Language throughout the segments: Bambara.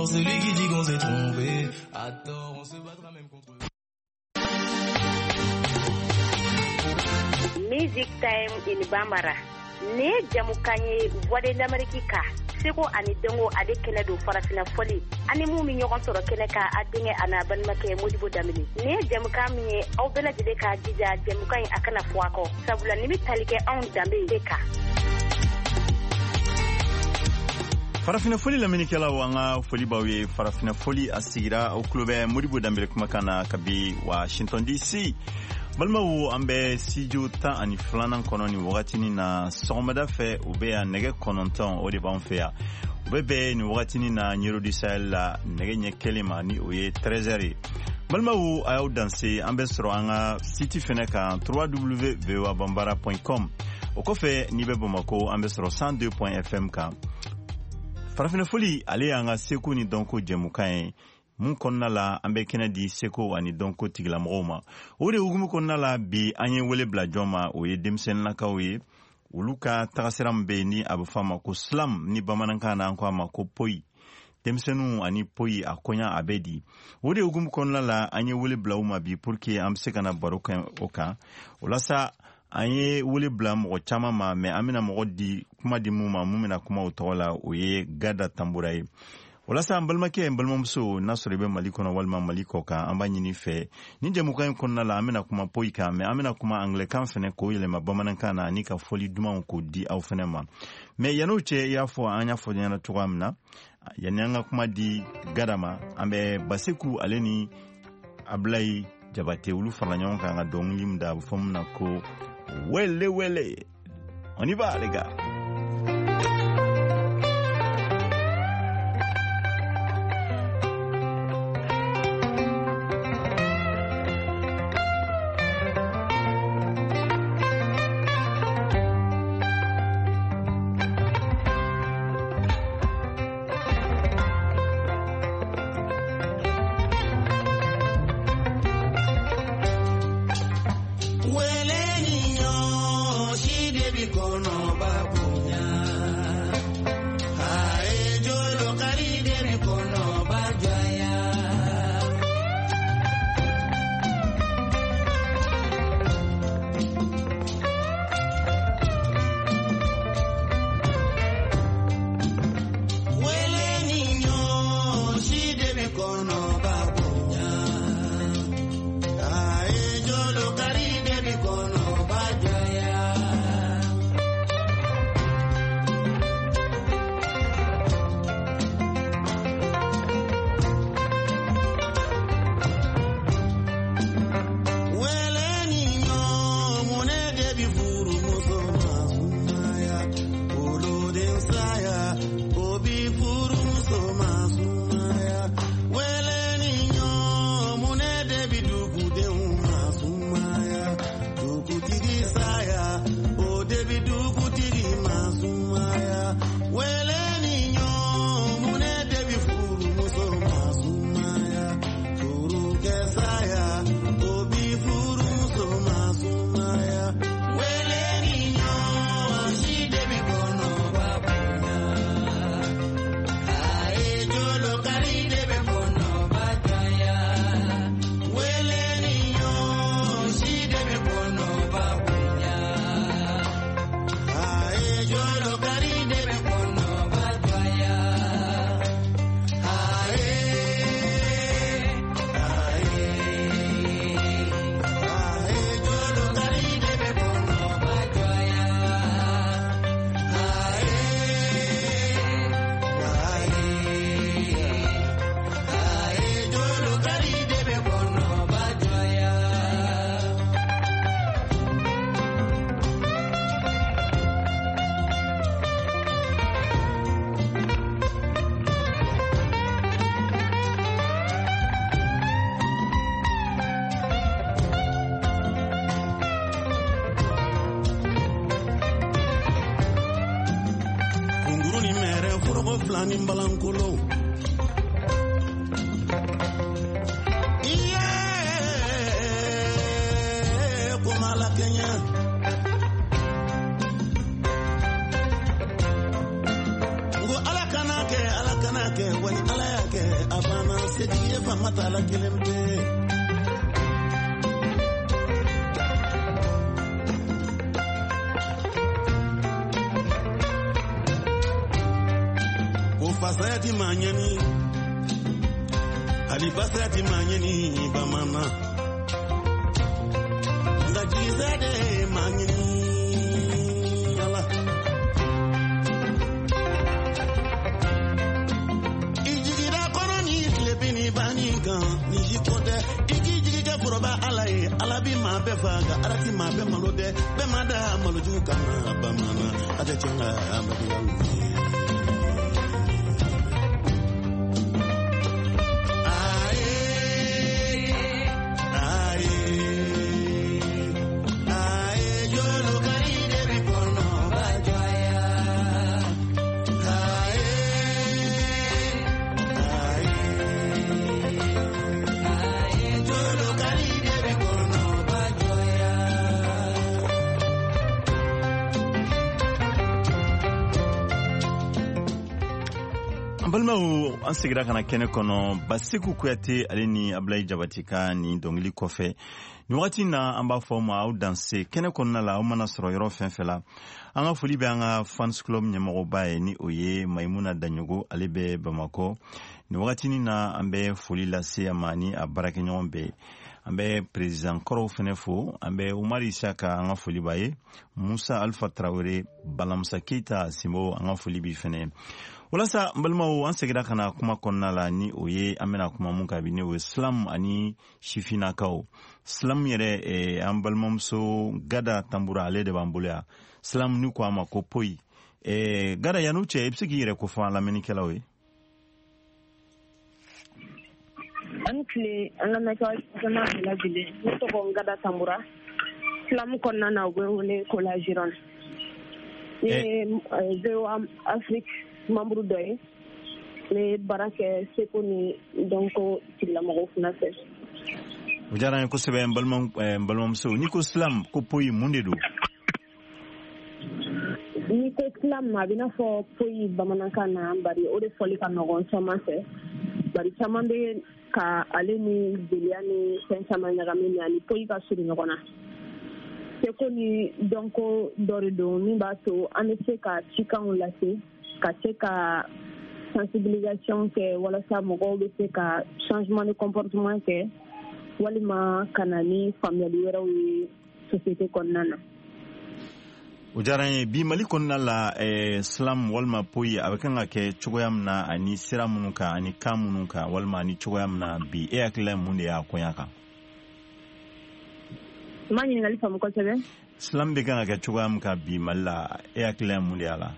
Celui qui dit qu'on s'est trompé à tort, on se battra même contre. Music Time in Bambara. Ne jamukan ye Voix de l'Amérique ka seko ani dɔnko ale kɛnɛ don farafina fɔli ani mun bɛ ɲɔgɔn sɔrɔ kɛnɛ kan a denkɛ a n'a balimakɛ Modibo Danbele. Nin ye jamukan min ye aw bɛɛ lajɛlen k'a jija jamukan in a kana fɔ a kɔ sabula nin bɛ tali kɛ anw danbe de kan. Farafina foli lamɛnnikɛlaw, an ka foli b'aw ye. Farafina foli a sigira, aw tulo bɛ Modibo Danbele kumakan na kabi Washington DC. Balimaw, an bɛ studio 12nan kɔnɔ nin wagatinin na. Sɔgɔmada fɛ, u bɛ yan nɛgɛ 9, o de b'an fɛ yan. U bɛ bɛn nin wagatinin na Ɲero du Sahel la nɛgɛ ɲɛ kelen ma, ni o ye 13 heures ye. Balimaw, a y'aw danse. An bɛ sɔrɔ an ka site fɛnɛ kan, www.voabambara.com. O kɔfɛ, n'i bɛ Bamako, an bɛ sɔrɔ 102 fm kan. Farafinna foli, ale y'an ka seko ni dɔnko jɛmukan ye mun kɔnɔna la an bɛ kɛnɛ di seko ani dɔnko tigilamɔgɔw ma. O de hukumu kɔnɔna la, bi an ye wele bila jɔn ma? O ye denmisɛnninnakaw ye, olu ka tagasira min bɛ yen ni a bɛ fɔ a ma ko slam, ni bamanankan na an ko a ma ko poyi. Denmisɛnninw ani poyi, a koɲa a bɛ di? O de hukumu kɔnɔna la, an ye wele bila u ma bi pour que an bɛ se ka na baro kɛ o kan. O la sa, an ye wele bila mɔgɔ caman ma, mais an bɛna mɔgɔ di kuma di mun ma, mun bɛna kuma o tɔgɔ la, o ye Gada Tanbura ye. O la sa, an balimakɛ, n balimamuso, n'a sɔrɔ i bɛ Mali kɔnɔ walima Mali kɔ kan, an b'a ɲini fɛ, ni jɛmukan in kɔnɔna la, an bɛna kuma poyi kan, mais an bɛna kuma anglɛkan fɛnɛ k'o yɛlɛma bamanankan na ani ka fɔli dumanw k'o di aw fɛnɛ ma. Mais yann'o cɛ, i y'a fɔ an y'a fɔ ɲɛna cogoya min na, yanni an ka kuma di Gada ma, an bɛ Baseku ale ni Abulayi Jabate, olu farala ɲɔgɔn kan ka dɔnkili min da, a bɛ fɔ min na ko Wele Wele. On y va, les gars. Wele ni ɲɔ si de bi kɔnɔba bonya. Aye jolo kari de bi kɔnɔba jaya. Wele ni ɲɔ si de bi kɔnɔba bonya. Aye jolo kari de bi kɔnɔba jaya. Wele ni ɲɔ munɛ de bi furu muso ma sumaya. Woloden saya o bi furu muso ma sumaya. Wele ni ɲɔ munɛ de bi dugudenw ma sumaya. Dugutigi saya o de bi dugutigi ma sumaya. Wele ni ɲɔ munɛ de bi furu muso ma sumaya. Furukɛ saya o bi furu muso ma sumaya. Wele ni ɲɔ si de bi kɔnɔba bonya. Aye jolo kari de bi kɔnɔba jaya. Wele ni ɲɔ si de bi kɔnɔba bonya. Aye jolo kari de bi kɔnɔba jaya. Aye, aye, aye jolo kari de bi kɔnɔba jaya. Aye, aye, aye jolo kari de bi kɔnɔba jaya. Kunguru ni mɛrɛ foroko fila ni balankolon. Iye komala kɛɲɛ. N ko ala kana kɛ, ala kana kɛ, wali ala y'a kɛ. Jigi ye faama t'a la kelen pe. Ko fasaya ti maa ɲɛni, hali basaya ti maa ɲɛni bamanan. Nka jigisaya de ye maa ɲini ala. I jigira kɔrɔ ni tilebin ni banni kan, ni si ko tɛ. I k'i jigi kɛ foroba ala ye, ala bi maa bɛɛ fa, nka ala ti maa bɛɛ malo dɛ. Bɛɛ ma da malojugu kama bamanan, a tɛ tiɲɛ ka maloya ye. An balimaw, an segira ka na kɛnɛ kɔnɔ Baseku Kuyate ale ni Abulayi Jabate ka nin dɔnkili kɔfɛ. Nin wagati na an b'a fɔ aw ma aw danse kɛnɛ kɔnɔna la, aw mana sɔrɔ yɔrɔ fɛn fɛn la. An ka foli bɛ an ka fans club ɲɛmɔgɔba ye, ni o ye Mayimuna Daɲogo, ale bɛ Bamakɔ. Nin wagati na an bɛ foli lase a ma ni a baarakɛɲɔgɔn bɛɛ. An bɛ président kɔrɔw fɛnɛ fo, an bɛ Umar Isaka an ka foli b'a ye, Musa Alpha Traoré, Balamusa Keita Simbo an ka foli b'i fɛnɛ. Walasa n balimaw, an segira ka na kuma kɔnɔna la, ni o ye an bɛna kuma mun kan bi, ni o ye slam ani sifinnakaw. Slam yɛrɛ, an balimamuso Gada Tambura ale de b'an bolo yan. Slam ni ko a ma ko poyi. Gada, yan'o cɛ, i bɛ se k'i yɛrɛ kofɔ an lamɛnnikɛlaw ye? An tile an lamɛnnikɛlaw jama bɛɛ lajɛlen. Ne tɔgɔ Gada Tambura. Slam kɔnɔna na, u bɛ wele ko la Gironde. Ne ye VOA Afrique membre dɔ ye. Ne baara kɛ seko ni dɔnko tigilamɔgɔw fana fɛ. O diyara n ye kosɛbɛ n balimamuso. N'i ko slam ko poyi, mun de don? N'i ko slam, a bɛ n'a fɔ poyi bamanankan na, bari o de fɔli ka nɔgɔn caman fɛ. Bari caman bɛ ka ale ni jeliya ni fɛn caman ɲagami, ani poyi ka surun ɲɔgɔn na. Seko ni dɔnko dɔ de don min b'a to an bɛ se ka cikanw lase, ka se ka sensibilisation kɛ walasa mɔgɔw bɛ se ka changement de comportement kɛ, walima ka na ni faamuyali wɛrɛw ye société kɔnɔna na. O diyara n ye. Bi Mali kɔnɔna la, slam walima poyi a bɛ kan ka kɛ cogoya min na, ani sira minnu kan, ani kan minnu kan, walima ani cogoya min na bi, e hakilila ye mun de y'a koɲa kan? N ma ɲininkali faamu kosɛbɛ. Slam bɛ kan ka kɛ cogoya min kan bi Mali la, e hakilila ye mun de y'a la?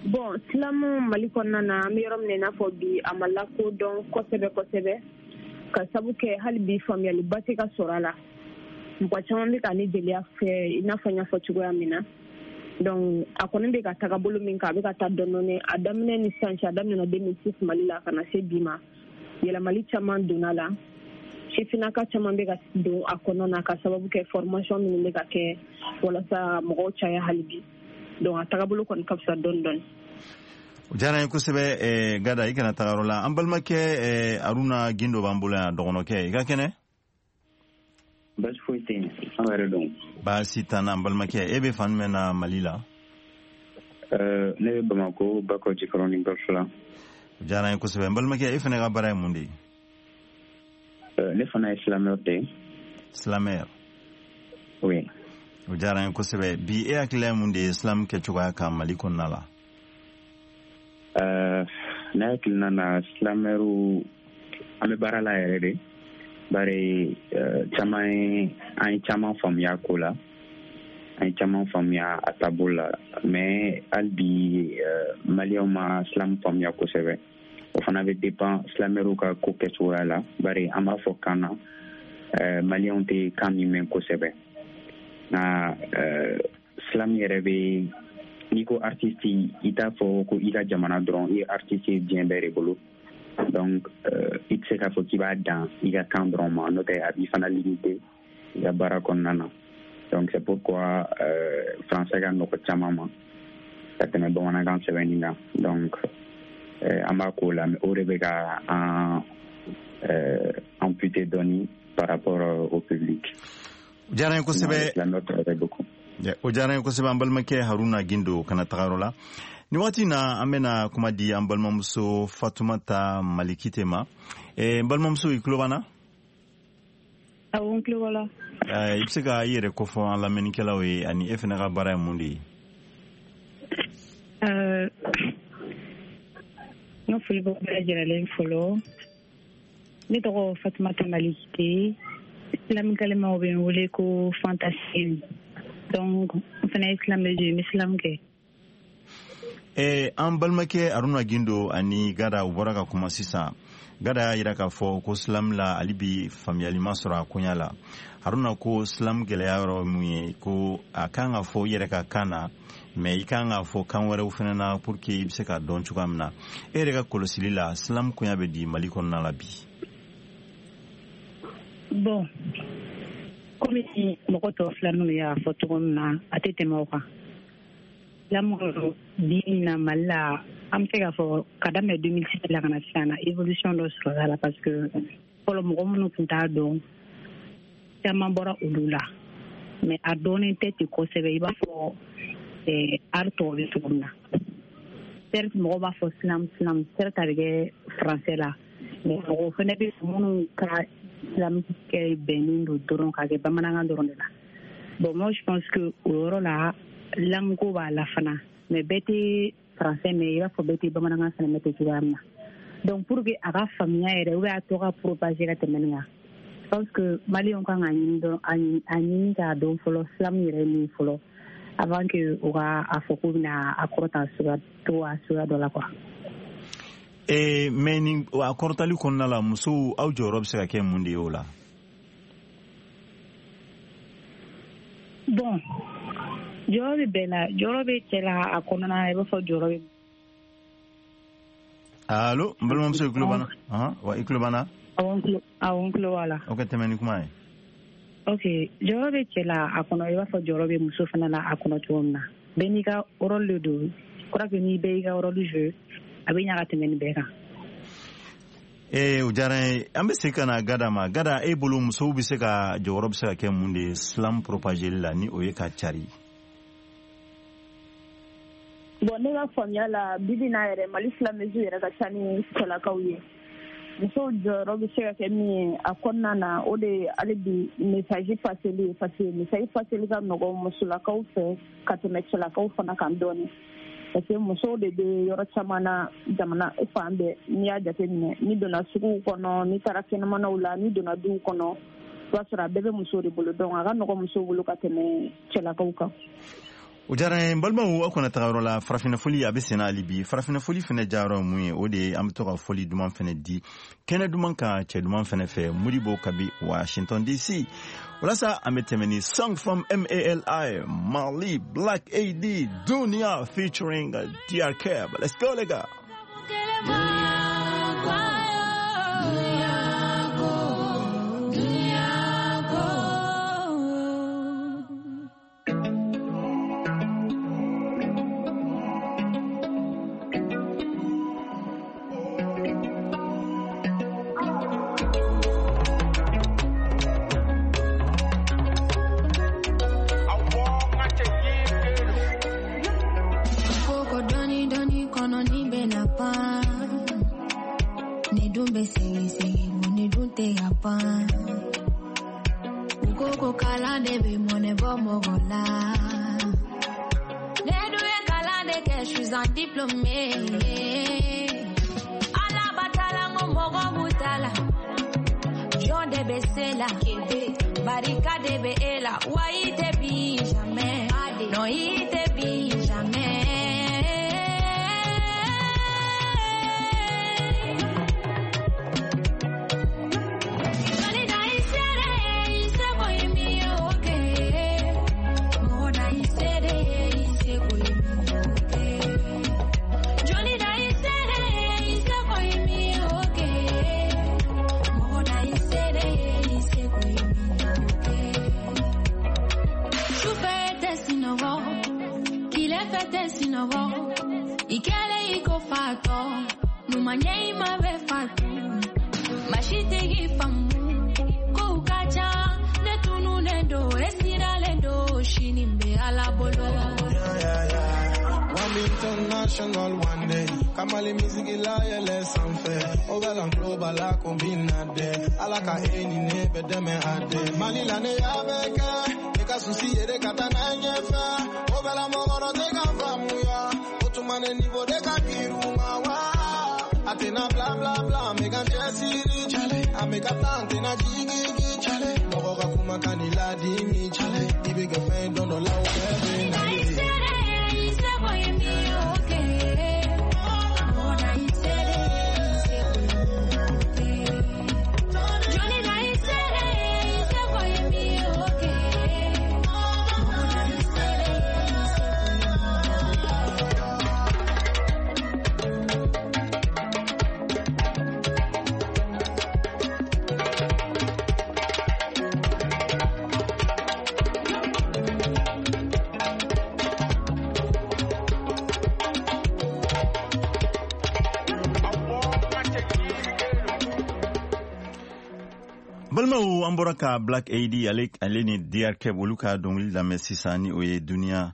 Bon, slam Mali kɔnɔna na, an bɛ yɔrɔ min na i n'a fɔ bi, a ma lakodɔn kosɛbɛ kosɛbɛ, ka sabu kɛ hali bi faamuyaliba tɛ ka sɔrɔ a la. Mɔgɔ caman bɛ ka ni jeliya fɛ i n'a fɔ n y'a fɔ cogoya min na. Donc a kɔni bɛ ka taga bolo min kan, a bɛ ka taa dɔɔnin dɔɔnin. A daminɛ ni sisan cɛ, a daminɛna 2006 Mali la ka na se bi ma, yɛlɛmali caman donna la. Sifinnaka caman bɛ ka don a kɔnɔna na ka sababu kɛ formation minnu bɛ ka kɛ walasa mɔgɔw caya hali bi. Donc a tagabolo kɔni ka fisa dɔɔnin dɔɔnin. O diyara n ye kosɛbɛ Gada, i kana taga yɔrɔ la. An balimakɛ Aruna Gindo b'an bolo yan, dɔgɔnɔkɛ, i ka kɛnɛ? Baasi foyi tɛ yen, an yɛrɛ don. Baasi t'an na, an balimakɛ. E bɛ fan jumɛn na Mali la? Ne bɛ Bamakɔ, Bakɔ Jikɔrɔni Golf la. O diyara n ye kosɛbɛ. N balimakɛ, e fana ka baara ye mun de ye? Ne fana ye slameur de ye. Slameur? Oui. O diyara n ye kosɛbɛ. Bi e hakilila ye mun de ye slam kɛcogoya kan Mali kɔnɔna la? Ne hakilina na, slameurw an bɛ baara la yɛrɛ de. Bari caman ye, an ye caman faamuya ko la, an ye caman faamuya a taabolo la, mais hali bi maliyɛnw ma slam faamuya kosɛbɛ. O fana bɛ dépend slameurw ka ko kɛcogoya la, bari an b'a fɔ kan na, maliyɛnw tɛ kan min mɛn kosɛbɛ. Nka slam yɛrɛ bɛ, n'i ko artiste, i t'a fɔ ko i ka jamana dɔrɔn, i ye artiste ye diɲɛ bɛɛ de bolo. Donc i tɛ se k'a fɔ k'i b'a dan i ka kan dɔrɔn ma, n'o tɛ a b'i fana limité i ka baara kɔnɔna na. Donc c'est pourquoi français ka nɔgɔ caman ma ka tɛmɛ bamanankan sɛbɛnni kan. Donc An b'a k'o la, mais o de bɛ ka an amputer dɔɔni par rapport au public. O diyara n ye kosɛbɛ. O diyara n ye kosɛbɛ, an balimakɛ Haruna Gindo. Kana tagayɔrɔ la nin waati na, an bɛna kuma di an balimamuso Fatumata Malikite ma. N balimamuso, i tulo b'an na? Awɔ, n tulo b'a la. I bɛ se ka i yɛrɛ kofɔ an lamɛnnikɛlaw ye, ani e fana ka baara ye mun de ye? N ka foli bɛ bɛɛ lajɛlen fɔlɔ. Ne tɔgɔ Fatumata Malikite, slamkalemaw bɛ n wele ko Fantasine. Donc n fana ye slameuse ye, n bɛ slam kɛ. An balimakɛ Aruna Gindo ani Gada, u bɔra ka kuma sisan. Gada y'a yira k'a fɔ ko slam la, hali bi faamuyali ma sɔrɔ a koɲa la. Haruna ko slam gɛlɛya yɔrɔ mun ye? Ko a kan ka fɔ i yɛrɛ ka kan na, mais i kan k'a fɔ kan wɛrɛw fana na pour que i bɛ se k'a dɔn cogoya min na. E yɛrɛ ka kɔlɔsili la, slam koɲa bɛ di Mali kɔnɔna la bi? Bon, komi mɔgɔ tɔ fila ninnu y'a fɔ cogo min na, a tɛ tɛmɛ o kan. Slam bi na Mali la, an bɛ se k'a fɔ ka daminɛ 2006 la ka na sisan na, évolution dɔ sɔrɔla la, parce que fɔlɔ mɔgɔ minnu tun t'a dɔn, caman bɔra olu la, mais a dɔnnen tɛ ten kosɛbɛ i b'a fɔ art tɔw bɛ cogo min na. Certes, mɔgɔw b'a fɔ slam slam, certes a bɛ kɛ français la, mais mɔgɔw fana bɛ minnu ka slam kɛ bɛnnen don dɔrɔn k'a kɛ bamanankan dɔrɔn de la. Bon, moi je pense que o yɔrɔ la, langue ko b'a la fana, mais bɛɛ tɛ français mɛn i b'a fɔ bɛɛ tɛ bamanankan fana mɛn ten cogoya min na. Donc pour que a ka faamuya yɛrɛ ou bien a tɔ ka propager ka tɛmɛ nin kan, je pense que maliyɛnw kan ka ɲini dɔrɔn, a ɲini k'a dɔn fɔlɔ slam yɛrɛ ye min fɔlɔ, avant que u ka a fɔ k'u bɛna a kɔrɔta suguya to a suguya dɔ la quoi. Mais ni a kɔrɔtali kɔnɔna la, musow, aw jɔyɔrɔ bɛ se ka kɛ mun de ye o la? Bon, jɔyɔrɔ bɛ bɛɛ la, jɔyɔrɔ bɛ cɛ la a kɔnɔna na i b'a fɔ jɔyɔrɔ bɛ. Allo, n balimamuso, i tulo b'an na? Wa, i tulo b'an na? Awɔ, n tulo b'a la. Ok, tɛmɛ ni kuma ye. Ok, jɔyɔrɔ bɛ cɛ la a kɔnɔ i b'a fɔ jɔyɔrɔ bɛ muso fana la a kɔnɔ cogo min na. Bɛɛ n'i ka rôle de don. Je crois que ni bɛɛ y'i ka rôle jouer, a bɛ ɲa ka tɛmɛ nin bɛɛ kan. O diyara n ye. An bɛ segin ka na Gada ma. Gada, e bolo, musow bɛ se ka jɔyɔrɔ bɛ se ka kɛ mun de ye slam propageli la, ni o ye ka cari? Bon, ne ka faamuya la, bibi n'a yɛrɛ, Mali slameuse yɛrɛ ka ca ni cɛlakaw ye. Musow jɔyɔrɔ bɛ se ka kɛ min ye a kɔnɔna na, o de ye hali bi message paseli ye, parce que message paseli ka nɔgɔn musolakaw fɛ ka tɛmɛ cɛlakaw fana kan dɔɔni, parce que musow de bɛ yɔrɔ caman na jamana fan bɛɛ. N'i y'a jateminɛ, n'i donna suguw kɔnɔ, n'i taara kɛnɛmanaw la, n'i donna duw kɔnɔ, i b'a sɔrɔ a bɛɛ bɛ musow de bolo. Donc a ka nɔgɔn musow bolo ka tɛmɛ cɛlakaw kan. O diyara n ye. N balimaw, aw kana taga yɔrɔ la. Farafinna foli a bɛ senna hali bi. Farafinna foli fɛnɛ diyayɔrɔ ye mun ye? O de ye an bɛ to ka foli duman fɛnɛ di kɛnɛ duman kan, cɛ duman fɛnɛ fɛ, Modibo kabi Washington DC. Walasa an bɛ tɛmɛ ni song from MALI, Mali Black AD Dunia featuring DRK. Let's go les gars. Koko kalan de bɛ mɔnɛ bɔ mɔgɔ la. Ne dun ye kalan de kɛ, je suis un diplômé. Ala batala n ko mɔgɔ b'u ta la. Jɔn de bɛ se la, barika de bɛ e la. Wa i tɛ bin jamais, non i tɛ bin jamais. Sinɔgɔ, i kɛlen i ko fatɔ. Kuma ɲɛ i ma bɛ fatu masitigi faamu kow ka ca ne tununnen don e siralen don sini bɛ ala bolo. One international one day. Kamali music la yɛlɛ sanfɛ. O bɛ lan global la combina de. Ala ka e ni ne bɛ dɛmɛ a de. Mali la ne y'a bɛɛ kɛ. Ne ka souci ye de ka taa n'a ɲɛfɛ. O bɛ la mɔgɔ dɔ tɛ ka faamuya. O tuma ne niveau de ka girin ma wa. A tɛna bla bla bla, n bɛ ka cɛsiri. A bɛ ka taa n tɛna jigin. Mɔgɔ ka kumakan ni ladimi. I bɛ kɛ fɛn dɔn dɔ la o bɛɛ bɛ na ye. I seko ye min ye o kɛ. Na i sere, i seko ye min ye o kɛ. Jɔnni na i sere, i seko ye min ye o kɛ. Na i sere, i seko ye min ye o kɛ. Balimaw, an bɔra ka Black AD ale ni DR Keb olu ka dɔnkili lamɛn sisan, ni o ye Duniya.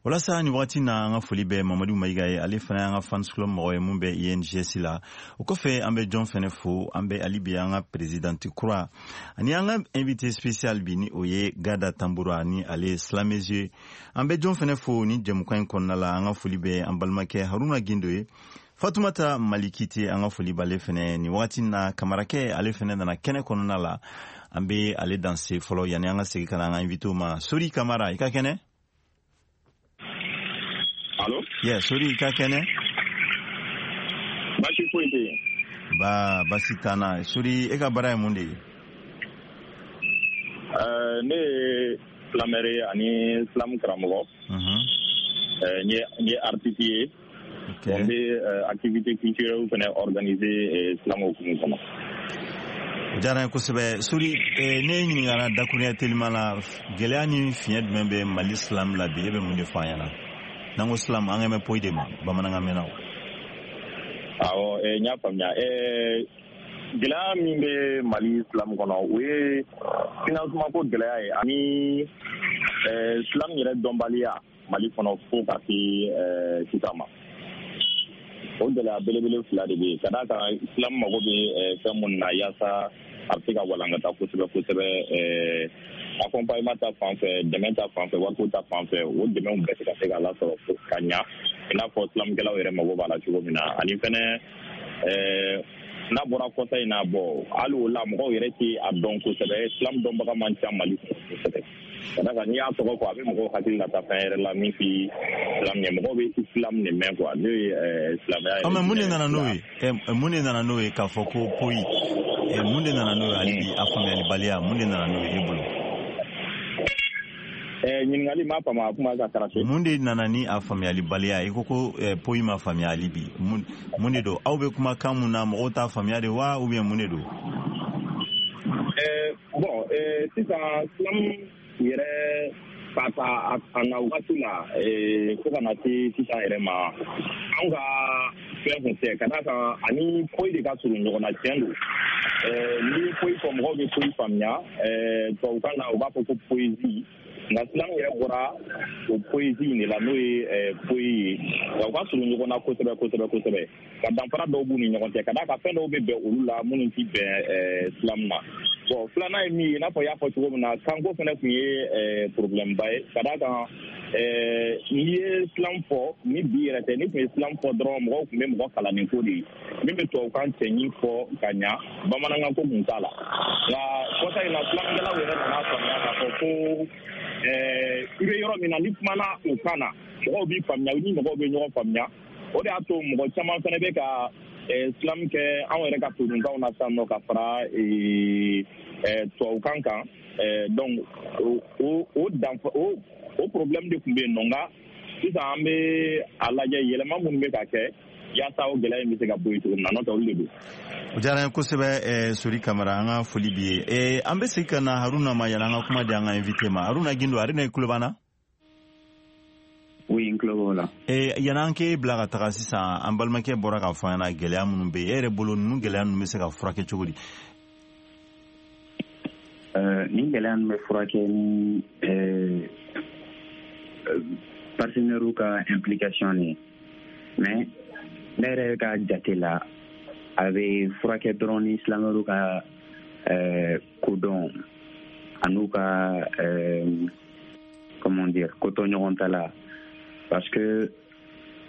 Walasa ni wagati na, an ka foli bɛ Mamadu Mayiga ye, ale fana y'an ka fans club mɔgɔ ye mun bɛ INGS la. O kɔfɛ, an bɛ jɔn fɛnɛ fo? An bɛ ali bi an ka présidente kura ani an ka invité spécial bi, ni o ye Gada Tambura, ni ale ye slameuse. An bɛ jɔn fɛnɛ fo ni jɛmukan in kɔnɔna la? An ka foli bɛ an balimakɛ Haruna Gindo ye, Fatumata Malikite, an ka foli b'ale fɛnɛ nin wagati na. Kamarakɛ, ale fɛnɛ nana kɛnɛ kɔnɔna la. An bɛ ale danse fɔlɔ yanni an ka segin ka na an ka invité ma. Sori Kamara, i ka kɛnɛ? Allo? Yeah, Sori, i ka kɛnɛ? Baasi foyi tɛ yen. Ba basi t'an na. Sori, e ka baara ye mun de ye? Ne ye slameur ye ani slam karamɔgɔ. N ye artiste ye. N bɛ activité culturelle fɛnɛ organiser slam hukumu kɔnɔ. O diyara n ye kosɛbɛ, Sori. Ne ɲininkara dakuruɲɛ telima la, gɛlɛya ni fiɲɛ jumɛn bɛ Mali slam la bi? E bɛ mun de fɔ an ɲɛna? N'an ko slam, an bɛ poyi de ma bamanankan mɛnna o. Awɔ, n y'a faamuya. Gɛlɛya min bɛ Mali slam kɔnɔ, o ye financement ko gɛlɛya ye ani slam yɛrɛ dɔnbaliya Mali kɔnɔ fo ka se sisan ma. O gɛlɛya belebele fila de bɛ yen, ka d'a kan slam mago bɛ fɛn minnu na yaasa a bɛ se ka walankata kosɛbɛ kosɛbɛ, accompagnement ta fan fɛ, dɛmɛ ta fan fɛ, wariko ta fan fɛ, o dɛmɛw bɛɛ tɛ ka se ka lasɔrɔ ka ɲa i n'a fɔ slamkɛlaw yɛrɛ mago b'a la cogo min na. Ani fɛnɛ, n'a bɔra kɔsa in na bɔ, hali o la mɔgɔw yɛrɛ tɛ a dɔn kosɛbɛ. Slam dɔnbaga man ca Mali kɔnɔ kosɛbɛ, ka d'a kan n'i y'a tɔgɔ fɔ, a bɛ mɔgɔw hakili lata fɛn yɛrɛ la min ti slam ye. Mɔgɔw bɛ islam de mɛn quoi, n'o ye silamɛya yɛrɛ. Mais mun de nana n'o ye? Mun de nana n'o ye k'a fɔ ko poyi? Mun de nana n'o ye hali bi, a faamuyalibaliya, mun de nana n'o ye e bolo? Ɲininkali m'a faamu, a kuma ka karate. Mun de nana ni a faamuyalibaliya? I ko poyi ma faamuya hali bi. Mun de don? Aw bɛ kuma kan mun na, mɔgɔw t'a faamuya de wa, ou bien mun de don? Bon, sisan slam yɛrɛ ka ta a na waati la fo ka na se sisan yɛrɛ ma, anw ka fɛn kun tɛ, ka d'a kan ani poyi de ka surun ɲɔgɔn na. Tiɲɛ don, n'i ye poyi fɔ, mɔgɔw bɛ poyi faamuya. Tubabukan na, u b'a fɔ ko poésie, nka slam yɛrɛ bɔra o poésie in de la, n'o ye poyi ye. Nka u ka surun ɲɔgɔn na kosɛbɛ kosɛbɛ kosɛbɛ, ka danfara dɔw b'u ni ɲɔgɔn cɛ, ka d'a kan fɛn dɔw bɛ bɛn olu la minnu ti bɛn slam na. Bon, filanan ye min ye, i n'a fɔ i y'a fɔ cogo min na, kanko fɛnɛ tun ye problème ba ye, ka d'a kan n'i ye slam fɔ, ni bi yɛrɛ tɛ, ni tun ye slam fɔ dɔrɔn, mɔgɔw tun bɛ mɔgɔ kalannin ko de ye min bɛ tubabukan cɛɲi fɔ ka ɲa, bamanankan ko kun t'a la. Nka kɔsa in na, slamkɛlaw yɛrɛ nana faamuya k'a fɔ ko i bɛ yɔrɔ min na, ni kumana o kan na, mɔgɔw b'i faamuya, ni mɔgɔw bɛ ɲɔgɔn faamuya. O de y'a to mɔgɔ caman fɛnɛ bɛ ka slam kɛ anw yɛrɛ ka todunkanw na sisan nɔ, ka fara tubabukan kan. Donc o danfa o problème de tun bɛ yen nɔ. Nka sisan an bɛ a lajɛ, yɛlɛma minnu bɛ ka kɛ yaasa o gɛlɛya in bɛ se ka bɔ yen cogo min na, n'o tɛ olu de don. O diyara n ye kosɛbɛ, Sori Kamara, an ka foli b'i ye. An bɛ segin ka na Haruna ma yanni an ka kuma di an ka invité ma. Haruna Gindo, Haruna, i tulo b'an na? Oui, n tulo b'o la. Yan'an k'e bila ka taga sisan, an balimakɛ bɔra k'a fɔ an ɲɛna gɛlɛya minnu bɛ yen, e yɛrɛ bolo ninnu gɛlɛya ninnu bɛ se ka furakɛ cogo di? Nin gɛlɛya ninnu bɛ furakɛ ni partenaires ka implication de ye, mais ne yɛrɛ ka jate la, a bɛ furakɛ dɔrɔn ni slameurs ka kodɔn an'u ka comment dire, kotɔ ɲɔgɔn ta la, parce que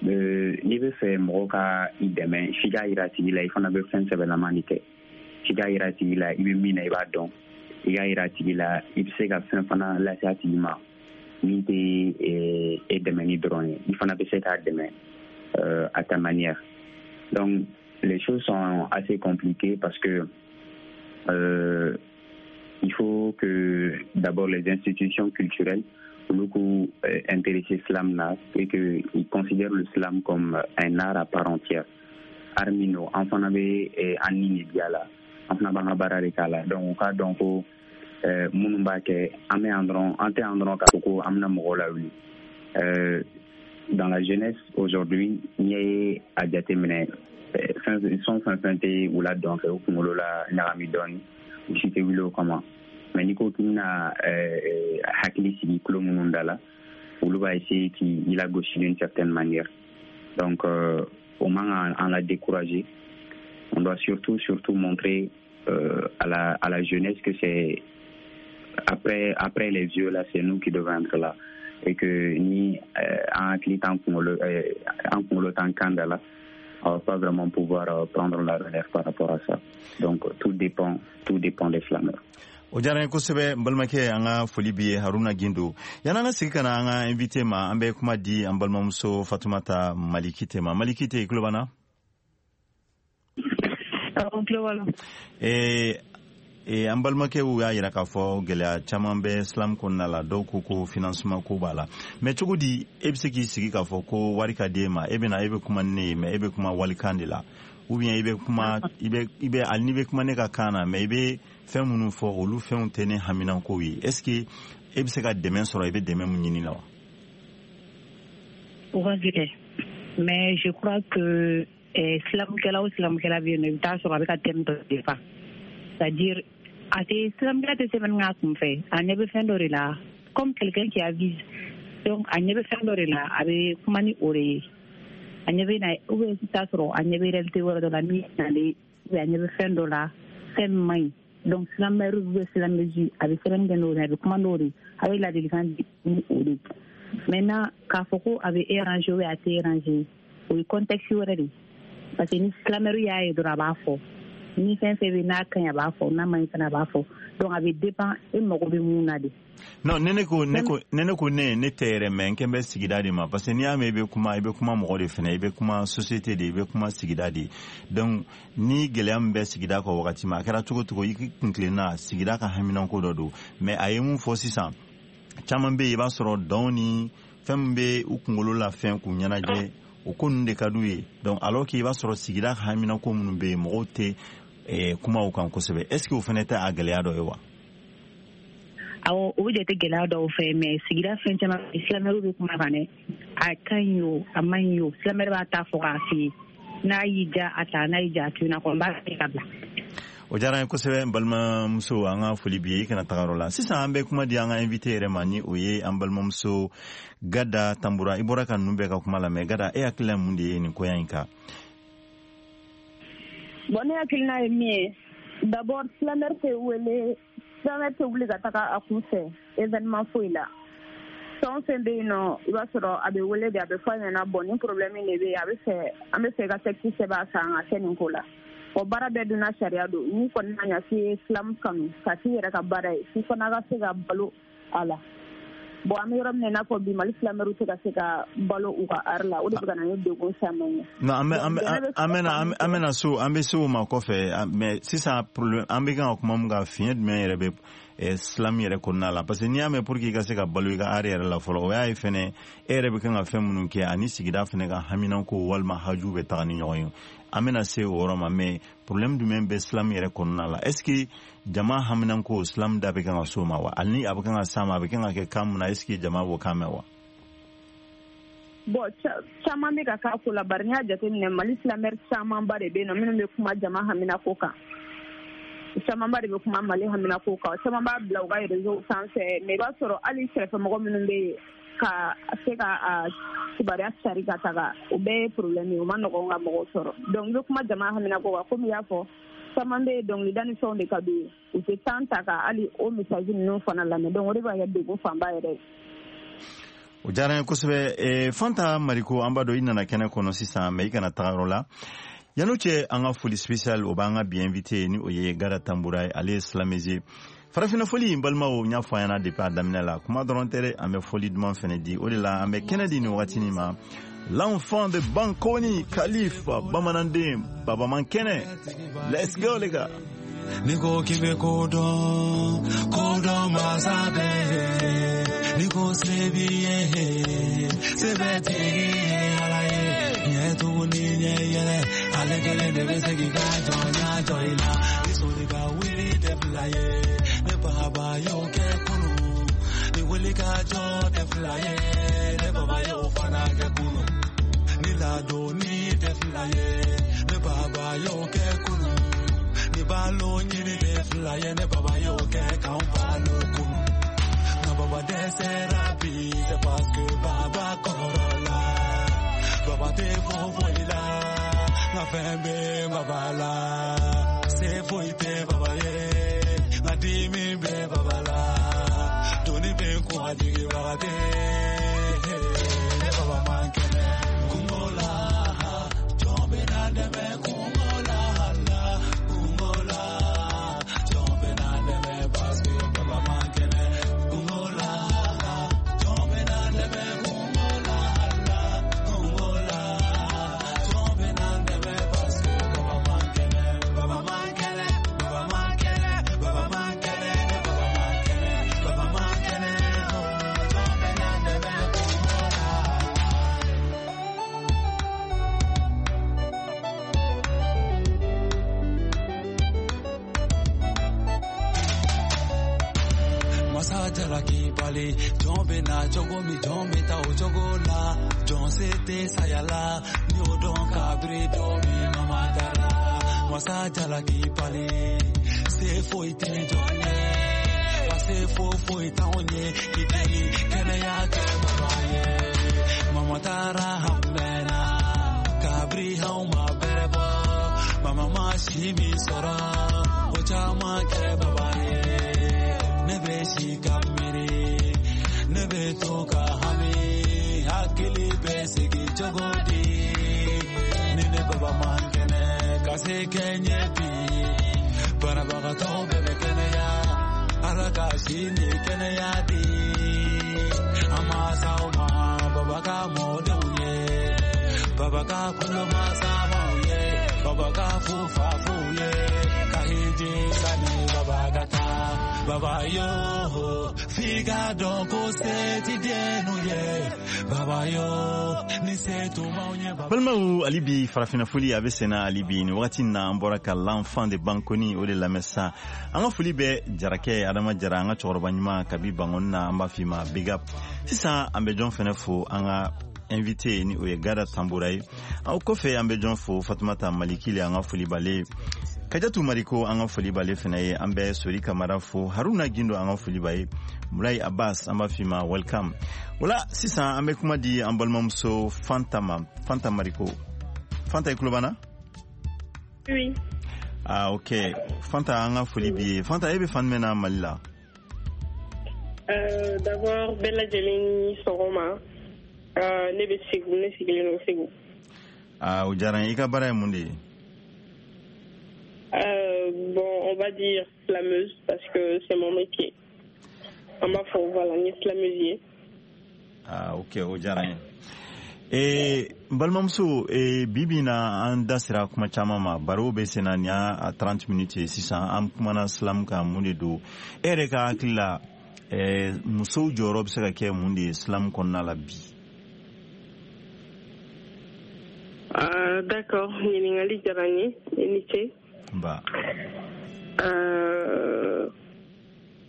n'i bɛ fɛ mɔgɔ ka i dɛmɛ, f'i k'a yira a tigi la i fana bɛ fɛn sɛbɛlama de kɛ, f'i k'a yira a tigi la i bɛ min na i b'a dɔn, i k'a yira a tigi la i bɛ se ka fɛn fana lase a tigi ma min tɛ e dɛmɛni dɔrɔn ye, i fana bɛ se k'a dɛmɛ à ta manière. Donc les choses sont assez compliquées parce que il faut que d'abord les institutions culturelles beaucoup intéressé slam là et que ils considèrent le slam comme un art à part entière. Art min don, an fana bɛ an ni de diya la, an fana b'an ka baara de k'a la. Donc u k'a dɔn ko minnu b'a kɛ, an bɛ yan dɔrɔn, an tɛ yan dɔrɔn k'a fɔ ko an bɛna mɔgɔw lawuli. Dans la jeunesse aujourd'hui, n'i ye a jateminɛ, fɛn fɛn fɛn fɛn tɛ u la dɔn kɛ u kunkolo la ɲagami dɔɔni, u si tɛ wuli o kama. Mais n'i ko k'i bɛna hakili sigi tulo minnu da la, olu b'a essayer k'i lagosi d'une certaine manière. Donc o man kan an la décourager. On doit surtout surtout montrer à la jeunesse que c'est après les vieux là, c'est nous qui devons être là, et que ni an hakili t'an kunkolo, an kunkolo t'an kan da la, on va pas vraiment pouvoir prendre la relève par rapport à ça. Donc tout dépend des slameurs. O diyara n ye kosɛbɛ, n balimakɛ, an ka foli b'i ye, Haruna Gindo. Yan'an ka sigi ka na an ka invité ma, an bɛ kuma di an balimamuso Fatumata Malikite ma. Malikite, i tulo b'an na? N tulo b'a la. An balimakɛw y'a yira k'a fɔ gɛlɛya caman bɛ slam kɔnɔna la. Dɔw ko ko financement ko b'a la, mais cogo di e bɛ se k'i sigi k'a fɔ ko wari ka di e ma, e bɛna e bɛ kuma ni ne ye, mais e bɛ kuma walikan de la, ou bien i bɛ kuma, i bɛ hali n'i bɛ kuma ne ka kan na, mais i bɛ fɛn minnu fɔ, olu fɛnw tɛ ne haminankow ye. Est ce que e bɛ se ka dɛmɛ sɔrɔ i bɛ dɛmɛ mun ɲini la wa? O ka gɛlɛn, mais je crois que slamkɛla o slamkɛla bɛ yen nɔ, i bɛ taa sɔrɔ a bɛ ka thème dɔ défend, c'est à dire a tɛ slamkɛla tɛ sɛbɛnni k'a kun fɛ, a ɲɛ bɛ fɛn dɔ de la, comme quelqu'un qui avise. Donc a ɲɛ bɛ fɛn dɔ de la, a bɛ kuma ni o de ye. A ɲɛ bɛ na, ou bien i bɛ taa sɔrɔ a ɲɛ bɛ réalité wɛrɛ dɔ la min nalen, ou bien a ɲɛ bɛ fɛn dɔ la, fɛn min man ɲi. Donc slameur ou bien slameuse, a bɛ sɛbɛnni kɛ n'o de ye, a bɛ kuma n'o de ye, a bɛ ladilikan di ni o de ye. Maintenant, k'a fɔ ko a bɛ arranger ou bien a tɛ arranger, o ye contexte wɛrɛ de ye, parce que ni slameur y'a ye dɔrɔn, a b'a fɔ ni fɛn fɛn bɛ n'a ka ɲi, a b'a fɔ, n'a man ɲi fana, a b'a fɔ. Donc a bɛ dépend e mago bɛ mun na de. Non, ne ko ne tɛ yɛrɛ, mais n kɛn bɛ sigida de ma, parce que n'i y'a mɛn i bɛ kuma, i bɛ kuma mɔgɔ de fɛnɛ, i bɛ kuma société de, i bɛ kuma sigida de. Donc ni gɛlɛya min bɛ sigida kɔ wagati ma, a kɛra cogo cogo, i kun tilenna sigida ka haminanko dɔ don. Mais a ye mun fɔ sisan, caman bɛ yen, i b'a sɔrɔ dɔn ni fɛn min bɛ u kunkolo la, fɛn k'u ɲɛnajɛ, o ko ninnu de ka d'u ye. Donc alors que i b'a sɔrɔ sigida ka haminanko minnu bɛ yen, mɔgɔw tɛ kuma o kan kosɛbɛ. Est ce que o fɛnɛ tɛ a gɛlɛya dɔ ye wa? Awɔ, o bɛ jate gɛlɛya dɔw fɛ, mais sigida fɛn caman, slameur bɛ kuma kan dɛ. A ka ɲi o, a man ɲi o, slameur b'a ta fɔ k'a f'i ye. N'a y'i ja, a ta, n'a y'i ja, a to yen nɔ, a kɔni b'a kɛ ka bila. O diyara n ye kosɛbɛ, n balimamuso, an ka foli b'i ye, i kana taga yɔrɔ la. Sisan an bɛ kuma di an ka invité yɛrɛ ma, ni o ye an balimamuso Gada Tanbura. I bɔra ka ninnu bɛɛ ka kuma lamɛn. Gada, e hakilina ye mun de ye nin koya in kan? Bon, ne hakilina ye min ye, d'abord slameur tɛ wele, slameur tɛ wuli ka taga a kun fɛ événement foyi la. Fɛn o fɛn bɛ yen nɔ, i b'a sɔrɔ a bɛ wele de, a bɛ fɔ a ɲɛna: bon, nin problème de bɛ yen, a bɛ fɛ, an bɛ fɛ i ka texte sɛbɛn a kan ka kɛ nin ko la. O baara bɛɛ dunna sariya don. N'i kɔni ma ɲɛ k'i ye slam kanu ka k'i yɛrɛ ka baara ye, f'i fana ka se ka balo a la. Bon, an bɛ yɔrɔ min na i n'a fɔ bi, Mali slameur tɛ ka se ka balo u ka art la, o de bɛ ka na ni degun caman ye. Non, an bɛ an bɛ an bɛna an bɛna so, an bɛ se o ma kɔfɛ. Mais sisan problème, an bɛ kan ka kuma mun kan, fiɲɛ jumɛn yɛrɛ bɛ slam yɛrɛ kɔnɔna la? Parce que n'i y'a mɛn, pour que i ka se ka balo i ka art yɛrɛ la fɔlɔ, o y'a ye fɛnɛ e yɛrɛ bɛ kan ka fɛn minnu kɛ ani sigida fɛnɛ ka haminanko walima haju bɛ taga ni ɲɔgɔn ye. An bɛna se o yɔrɔ ma, mais problème jumɛn bɛ slam yɛrɛ kɔnɔna la? Est ce que jama haminanko, slam da bɛ kan ka s'o ma wa? Hali ni a bɛ kan ka s'a ma, a bɛ kan ka kɛ kan mun na? Est ce que jama b'o kan mɛn wa? Bon, caman bɛ ka k'a ko la, bari n'i y'a jateminɛ, Mali slameur camanba de bɛ yen nɔ minnu bɛ kuma jama haminako kan. Camanba de bɛ kuma Mali haminako kan, caman b'a bila u ka réseau sanfɛ, mais i b'a sɔrɔ hali kɛrɛfɛmɔgɔ minnu bɛ yen ka se ka a kibaruya cari ka taga, o bɛɛ ye problème ye, o ma nɔgɔn ka mɔgɔw sɔrɔ. Donc i bɛ kuma jama haminako kan, komi i y'a fɔ, caman bɛ yen, dɔnkilida ni fɛnw de ka d'u ye, u tɛ temps ta ka hali o message ninnu fana lamɛn. Donc o de b'a kɛ degun fanba yɛrɛ ye. O diyara n ye kosɛbɛ. Fanta Mariko, an b'a dɔn i nana kɛnɛ kɔnɔ sisan, mais i kana taga yɔrɔ la. Yan'o cɛ, an ka foli spécial, o b'an ka bi invité, ni o ye Gara Tambura ye, ale ye slameuse ye. Farafinna foli, n balimaw, n y'a fɔ an ɲɛna depuis a daminɛ la, kuma dɔrɔn tɛ dɛ, an bɛ foli duman fɛnɛ di. O de la an bɛ kɛnɛ di nin wagatinin ma, l'enfant de Bankoni, Khalifa bamananden, baba man kɛnɛ. Let's go les gars. Ni ko k'i bɛ ko dɔn, ko dɔn masa bɛɛ. Ni ko se b'i ye, se bɛ tigi ye Ala ye. Ɲɛ tugun ni ɲɛ yɛlɛ, ale kelen de bɛ se k'i ka jɔnya jɔ i la. Ni soli ka wuli tɛ fila ye, ne baba y'o kɛ kunun. Ni wuli ka jɔ tɛ fila ye, ne baba y'o fana kɛ kunun. Ni ladonni tɛ fila ye, ne baba y'o kɛ kunun. Ni balo ɲini tɛ fila ye, ne baba y'o kɛ k'anw balo kunun. Nka baba dɛsɛra bi, c'est parce que baba kɔrɔ la. Baba tɛ fɔ foyi la, nka fɛn bɛ baba la. Se foyi tɛ baba ye, nka dimi bɛ baba la. Doni bɛ n kun, a jigibaga tɛ. Ne baba man kɛnɛ. Kungo la, jɔn bɛ na dɛmɛ kungo la la. Kungo la, jɔn bɛ na dɛmɛ parce que baba man kɛnɛ. Kungo la, jɔn bɛ na dɛmɛ kungo la la. Kungo la, jɔn bɛ na dɛmɛ parce que baba man kɛnɛ. Baba man kɛnɛ, baba man kɛnɛ, baba man kɛnɛ, ne baba man kɛnɛ, baba man kɛnɛ, oh, jɔn bɛ na dɛmɛ kungo la. Masa jalaki bali, jɔn bɛ na cogo min, jɔn bɛ taa o cogo la. Jɔn se tɛ saya la, ni o dɔn kabiri don min mama taara. Masa jalaki bali, se foyi tɛ jɔn ye, wa se foyi foyi t'anw ye, k'i deli kɛnɛya kɛ baba ye. Mama taara an mɛnna, kabiri anw ma bɛrɛ bɔ. Mama ma si min sɔrɔ, o caman kɛ baba ye. Ne bɛ si ka miiri, ne bɛ to ka hami, hakili bɛ sigi cogo di? Ni ne baba man kɛnɛ, ka se kɛ n ye bi. Banabagatɔ bɛɛ bɛ kɛnɛya, Ala ka si ni kɛnɛya di. An mansaw ma, baba ka mɔdenw ye, baba ka kulomasamaw ye, baba ka fufafuw ye, ka hiji sani baba ka taa. Baba yo, f'i ka dɔn ko se ti dennu ye. Baba yo, ni se tun b'anw ye. Baba. Balimaw, hali bi farafinna foli a bɛ senna hali bi. Nin wagati in na, an bɔra ka l'enfant de Bankoni, o de lamɛn sisan. An ka foli bɛ Jarakɛ Adama Jara, an ka cɛkɔrɔba ɲuman kabi Bankoni na, an b'a f'i ma big up. Sisan an bɛ jɔn fɛnɛ fo? An ka invité, ni o ye Gada Tambura ye. Aw kɔfɛ, an bɛ jɔn fo? Fatumata Malikile, an ka foli b'ale ye. Kajatu Mariko, an ka foli b'ale fɛnɛ ye. An bɛ Sori Kamara fo, Haruna Gindo, an ka foli b'a ye, Mulayi Abbas, an b'a f'i ma welcome. Wala sisan an bɛ kuma di an balimamuso Fanta ma, Fanta Mariko. Fanta, i tulo b'an na? Oui. Ah ok, Fanta, an ka foli b'i ye. Fanta, e bɛ fan jumɛn na Mali la? D'abord, bɛɛ lajɛlen ni sɔgɔma. Ne bɛ Segu, ne sigilen don Segu. Ah, o diyara n ye. I ka baara ye mun de ye? Bon, on va dire slameuse parce que c'est mon métier. An b'a fɔ voilà, n ye slameuse ye. Ah ok, o diyara n ye. N balimamuso, bi bi in na, an da sera kuma caman ma, baro bɛ sen na, nin y'a 30 minutes ye sisan. An kumana slam kan, mun de don? E yɛrɛ ka hakili la, musow jɔyɔrɔ bɛ se ka kɛ mun de ye slam kɔnɔna la bi? Ah, d'accord, ɲininkali diyara n ye, i ni ce. Ba.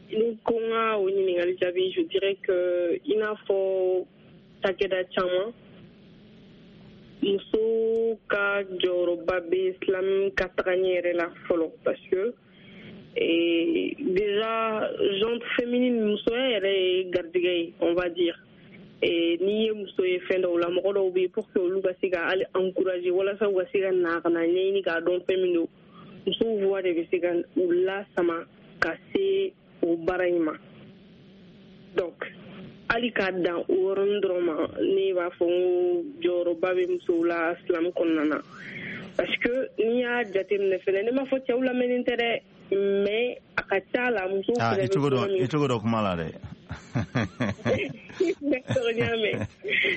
Ni ko n ka o ɲininkali jaabi, je dirais que i n'a fɔ cakɛda caman Muso ka jɔyɔrɔba bɛ slam ka taga ɲɛ yɛrɛ la fɔlɔ, parce que déjà gente féminine, musoya yɛrɛ ye garijɛgɛ ye, on va dire. Et n'i ye muso ye fɛn dɔw la, mɔgɔ dɔw bɛ yen, pour que olu ka se ka hali encourager walasa u ka se ka na ka na ɲɛɲini k'a dɔn fɛn min don, musow voix de bɛ se ka u lasama ka se o baara in ma. Donc hali k'a dan o yɔrɔnin dɔrɔn ma, ne b'a fɔ n ko jɔyɔrɔba bɛ musow la slam kɔnɔna na, parce que n'i y'a jateminɛ fɛnɛ, ne m'a fɔ cɛw lamɛnnen tɛ dɛ, mais a ka ca la musow fɛnɛ bɛ kuma min. I cogo dɔ kuma la dɛ. D'accord, n y'a mɛn,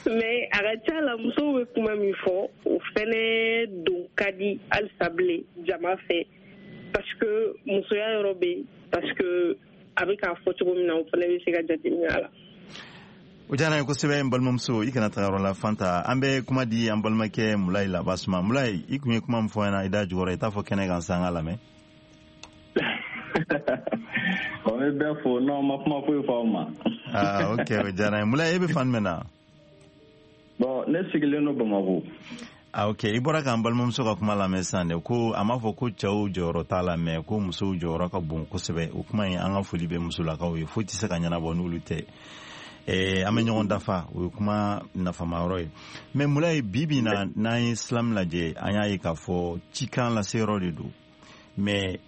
mais a ka ca la musow bɛ kuma min fɔ, o fɛnɛ don ka di halisa bilen jama fɛ, parce que musoya yɔrɔ bɛ yen, parce que a bɛ k'a fɔ cogo min na, o fana bɛ se ka jateminɛ a la. O diyara n ye kosɛbɛ, n balimamuso. I kana taga yɔrɔ la, Fanta. An bɛ kuma di an balimakɛ Mulayi Labasuma. Mulayi, i kun ye kuma min fɔ ɲɛna i da jukɔrɔ, i t'a fɔ kɛnɛ kan sisan, an ka lamɛn. O bɛ bɛɛ fo. Non, ma kuma foyi fɔ aw ma. Ah, ok, o diyara n ye. Mulayi, e bɛ fan jumɛn na? Bon, ne sigilen don Bamako. Ah, ok. I bɔra k'an balimamuso ka kuma lamɛn sisan dɛ, ko a m'a fɔ ko cɛw jɔyɔrɔ t'a la, mais ko musow jɔyɔrɔ ka bon kosɛbɛ. O kuma in, an ka foli bɛ musolakaw ye, foyi tɛ se ka ɲɛnabɔ n'olu tɛ. An bɛ ɲɔgɔn dafa, o ye kuma nafama yɔrɔ ye. Mais Mulayi, bi bi na, n'an ye slam lajɛ, an y'a ye k'a fɔ cikan laseyɔrɔ de don, mais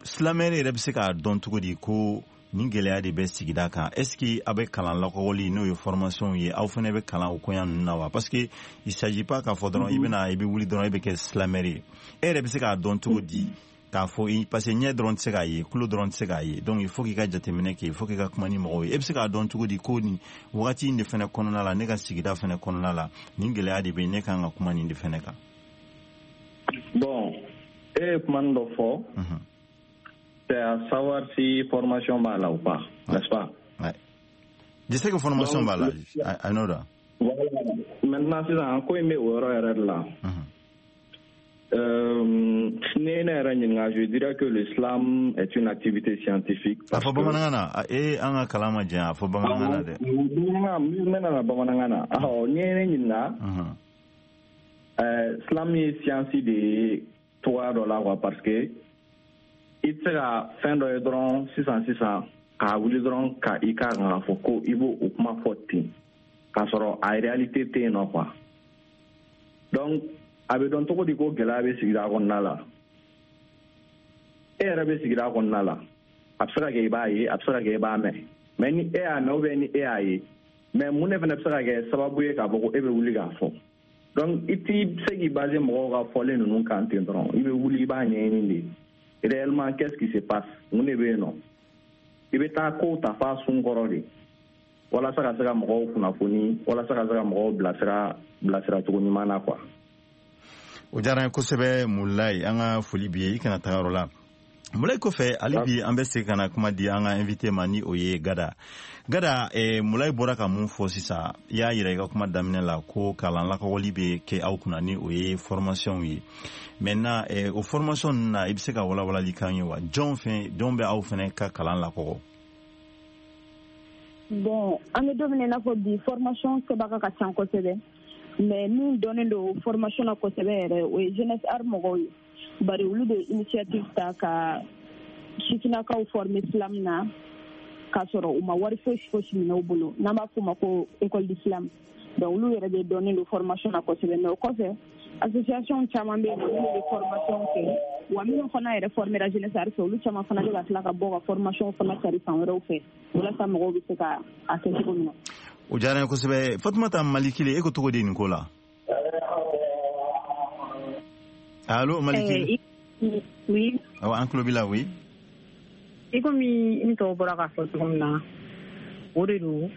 slameur yɛrɛ bɛ se k'a dɔn cogo di ko nin gɛlɛya de bɛ sigida kan? Est ce que a bɛ kalan lakɔgɔli, n'o ye formation ye, aw fana bɛ kalan o koɲa ninnu na wa? Parce que il s'agit pas k'a fɔ dɔrɔn i bɛna, i bɛ wuli dɔrɔn, i bɛ kɛ slameur ye. E yɛrɛ bɛ se k'a dɔn cogo di k'a fɔ? Parce que ɲɛ dɔrɔn tɛ se k'a ye, tulo dɔrɔn tɛ se k'a ye, donc il faut k'i ka jateminɛ kɛ, il faut k'i ka kuma ni mɔgɔw ye. E bɛ se k'a dɔn cogo di ko nin wagati in de fana kɔnɔna la, ne ka sigida fana kɔnɔna la, nin gɛlɛya de bɛ, ne kan ka kuma nin de fana kan? Bon, e ye kuma dɔ fɔ, c'est à savoir si formation b'a la ou pas, n'est-ce pas? Ouais. Je sais que formation b'a la, I know that. Voilà. Maintenant, sisan ko in bɛ o yɔrɔ yɛrɛ de la. Ne ne yɛrɛ ɲininka, je dirais que le slam est une activité scientifique. A fɔ bamanankan na, e an ka kalan ma janya, a fɔ bamanankan na dɛ. Bamanankan, n bɛna na bamanankan na. Awɔ, n'i ye ne ɲininka, slam ye science de ye cogoya dɔ la quoi, parce que i tɛ se ka fɛn dɔ ye dɔrɔn sisan sisan k'a wuli dɔrɔn ka i k'a kan k'a fɔ ko i b'o o kuma fɔ ten, k'a sɔrɔ a réalité tɛ yen nɔ quoi. Donc a bɛ dɔn cogo di ko gɛlɛya bɛ sigida kɔnɔna la? E yɛrɛ bɛ sigida kɔnɔna la, a bɛ se ka kɛ i b'a ye, a bɛ se ka kɛ i b'a mɛn, mais ni e y'a mɛn ou bien ni e y'a ye, mais mun de fana bɛ se ka kɛ sababu ye k'a fɔ ko e bɛ wuli k'a fɔ? Donc i t'i se k'i baser mɔgɔw ka fɔlen ninnu kan ten dɔrɔn. I bɛ wuli, i b'a ɲɛɲini de réellement, qu'est-ce qui se passe, mun de bɛ yen nɔ. I bɛ taa kow ta f'a sun kɔrɔ de, walasa ka se ka mɔgɔw kunnafoni, walasa ka se ka mɔgɔw bilasira, bilasira cogo ɲuman na quoi. O diyara n ye kosɛbɛ, Mulayi. An ka foli b'i ye, i kana taga yɔrɔ la. Mulayi kɔfɛ, hali bi an bɛ segin ka na kuma di an ka invité ma, ni o ye Gada. Gada, Mulayi bɔra ka mun fɔ sisan? I y'a yira i ka kuma daminɛ la ko kalan lakɔgɔli bɛ kɛ aw kunna, ni o ye formation ye. Maintenant, o formation ninnu na, i bɛ se ka walawalali k'an ye wa? Jɔn fɛn, jɔn bɛ aw fɛnɛ ka kalan lakɔgɔ? Bon, an bɛ don min na i n'a fɔ bi, formation kɛbaga ka ca kosɛbɛ, mais min dɔnnen don formation na kosɛbɛ yɛrɛ, o ye Jeunesse Art mɔgɔw ye, bari olu de initiative ta ka sifinnakaw former slam na k'a sɔrɔ u ma wari fosi fosi minɛ u bolo, n'an b'a f'o ma ko école du slam. Donc olu yɛrɛ de dɔnnen don formation na kosɛbɛ. Mais o kɔfɛ, association caman bɛ yen minnu bɛ formation kɛ, wa minnu fana yɛrɛ formera Jeunesse Art fɛ, olu caman fana bɛ ka tila ka bɔ ka formation fana cari fan wɛrɛw fɛ, walasa mɔgɔw bɛ se ka a kɛ cogo min na. O diyara n ye kosɛbɛ. Fatumata Malikile, e ko cogo di nin ko la? Allo, Malikile? Oui. Awɔ, an tulo b'i la, oui. I komi n tɔw bɔra k'a fɔ cogo min na, o de don,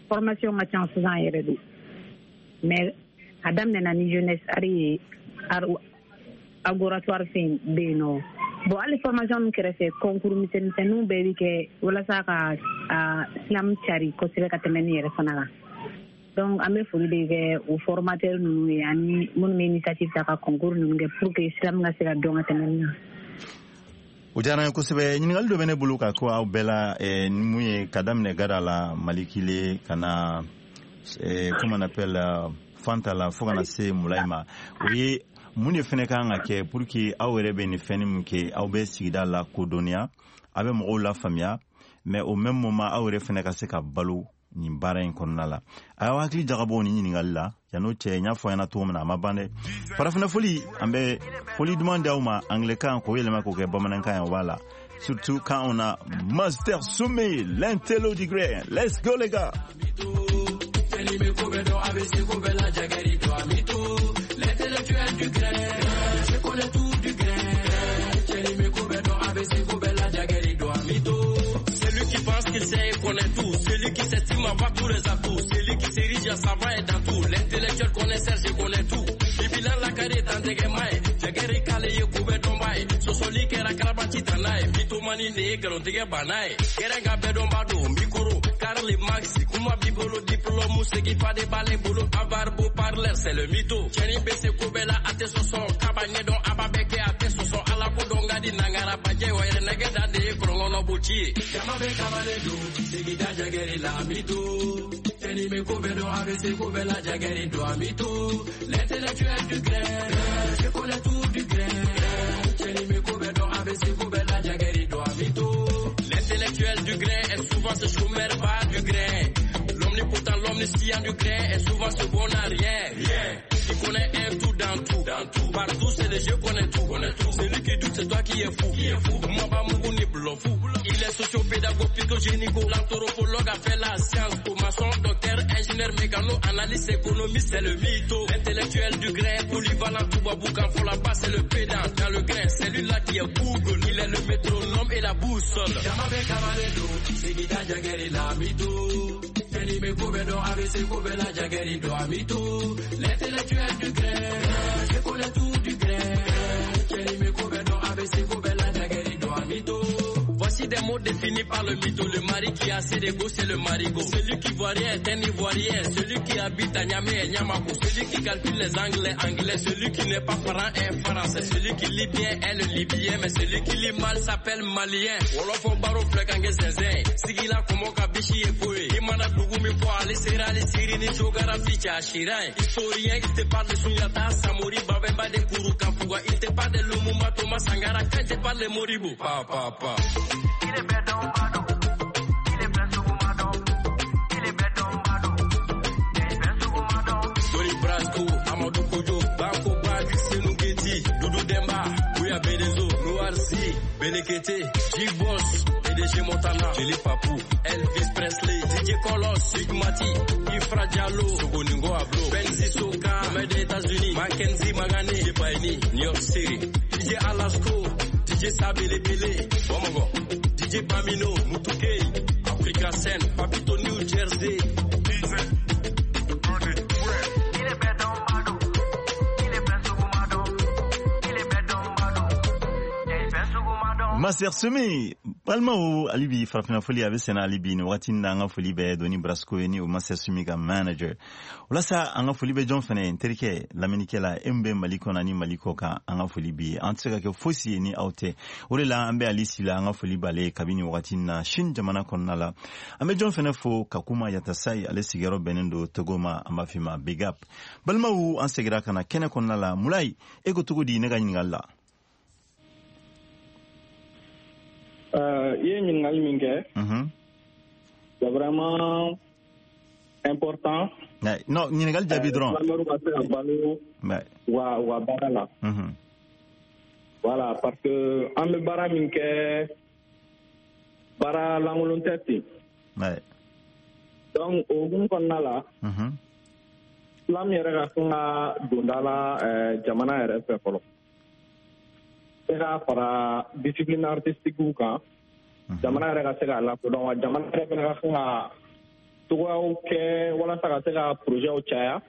formation ka ca sisan yɛrɛ de, mais a daminɛna ni Jeunesse Art ye, laboratoire fɛn bɛ yen nɔ. Bon, hali formation min kɛrɛfɛ, concours misɛnmisɛnninw bɛɛ bɛ kɛ walasa ka a slam cari kosɛbɛ ka tɛmɛ nin yɛrɛ fana kan. Donc an bɛ foli de kɛ o formateur ninnu ye, ani minnu bɛ initiative ta ka concours ninnu kɛ pour que slam ka se ka dɔn ka tɛmɛ nin kan. O diyara n ye kosɛbɛ. Ɲininkali dɔ bɛ ne bolo ka ko aw bɛɛ la, ni mun ye, ka daminɛ Gada la, Malikile, ka na, comment on appelle, Fanta la fo ka na se Mulayi ma, o ye mun de fɛnɛ kan ka kɛ pour que aw yɛrɛ bɛ nin fɛn min kɛ, aw bɛ sigida la kodɔnniya, aw bɛ mɔgɔw lafaamuya, mais au même moment aw yɛrɛ fɛnɛ ka se ka balo nin baara in kɔnɔna la. A y'aw hakili jagabɔ nin ɲininkali la. Yan'o cɛ, n y'a fɔ ɲɛna cogo min na, a ma ban dɛ. Farafinna foli, an bɛ foli duman di aw ma anglais-kan k'o yɛlɛma k'o kɛ bamanankan ye, o b'a la. Surtout quand on a Master Soumy, l'intello du grain. Let's go les gars. L'intellectuel du grain, je connais tout du grain. Celui qui pense qu'il sait et connaît tout, celui qui s'estime avoir tous les atouts, celui qui s'érige à savoir et dans tout, l'intellectuel connaisseur, je connais tout. Bibilan la kare tantege mai, jageri kale ye kube dombai, sosoli kera karabachi tanai, mitomani ne galontige banai, kerenga bedomba do mikoro, Karl Marx, kuma bibolo diplôme segi pa de bale bolo, avar beau parler c'est le mytho. Cheni bese kobela ate soso, kaba nyedon ababeke ate soso, ala ko dongadi nangara baje wa nege dande krongono buchi. Jama be kamale do, sigida jageri la mito. Teni me kobe do ABC kobe la jageri do amito. L'intellectuel du grain, je connais tout du grain. Teni me kobe do ABC kobe la jageri do amito. L'intellectuel du grain est souvent ce chômeur pas du grain. L'omnipotent, l'omniscient du grain est souvent ce bon à rien. Rien. Il connaît un tout dans tout, dans tout. Partout c'est le jeu, connaît tout, connaît tout. Celui qui doute, c'est toi qui es fou, qui est fou. Moi, pas mougou ni blanc fou. Il est socio-pédagogue, psychogénico, l'anthropologue a fait la science. Maçon, docteur, ingénieur, mécano, analyste, économiste, c'est le mytho. L'intellectuel du grain, polyvalent, tout baboukan, faut la passe, c'est le pédant. Dans le grain, c'est lui là qui est Google. Il est le métronome et la boussole. Jamabe kamaledo, sigida jageri la mytho. L'intellectuel du grain, je connais tout du grain. Voici des mots définis par le mytho. Le mari qui a assez d'ego, c'est le marigot. Celui qui voit rien est un ivoirien. Celui qui habite à Niamey est Niamako. Celui qui calcule les anglais, anglais. Celui qui n'est pas franc est français. Celui qui lit bien est le libyen. Mais celui qui lit mal s'appelle malien. Wolofo baro flekange zinzin. Sigila komoka bishi ekoe. Imana dugumi po ali sera ali siri ni géographie tcha chiran. Historien, il te parle de Sundiata, Samori, Babemba de Kourou Kafuga. Il te parle de Lumumba, Thomas Sankara. Quand il te parle de Modibo. Pa, pa, pa. Dori Brasco, Amadou Kojo, Bako Bak, Senou Geti, Doudou Demba, Bouya Bedezo, Noir C, Benekete, G-Boss, PDG Montana, Philippe Papou, Elvis Presley, DJ Kolos, Sigmati, Ifra Diallo, Sogoningo Ablo, Benzi Soka, Ahmed des États-Unis, Mackenzie Magane, Jebaini, New York City, DJ Alasko, DJ Sabele Bele, Bomogo, DJ Bamino, Mutukei, Africa Sen, Papito New Jersey. Master Sumi, balimaw, hali bi farafinna foli a bɛ senna hali bi nin wagati in na. An ka foli bɛ Doni Brasco ye ni o Master Sumi ka manager. Walasa an ka foli bɛ jɔn fɛnɛ ye, n terikɛ lamɛnnikɛla e min bɛ Mali kɔnɔ ani Mali kɔ kan, an ka foli bi ye. An tɛ se ka kɛ fosi ye ni aw tɛ. O de la an bɛ Ali Sila, an ka foli b'ale ye kabini wagati in na Chine jamana kɔnɔna la. An bɛ jɔn fɛnɛ fo, Kakuma Yatasayi, ale sigiyɔrɔ bɛnnen don Togo ma, an b'a f'i ma big up. Balimaw, an seginna ka na kɛnɛ kɔnɔna la. Mulayi, e ko cogo di ne ka ɲininkali la? I ye ɲininkali min kɛ, c'est vraiment important. Non, ɲininkali jaabi dɔrɔn. Slamɛriw ka se ka balo u ka baara la. Voilà, parce que an bɛ baara min kɛ, baara lankolon tɛ ten. Donc o hukumu kɔnɔna la, slam yɛrɛ ka kan ka don da la jamana yɛrɛ fɛ fɔlɔ. Se ka fara discipline artistique kan, jamana yɛrɛ ka se k'a lakodɔn, wa jamana yɛrɛ fana ka kan ka togoyaw kɛ walasa ka se ka projetw caya,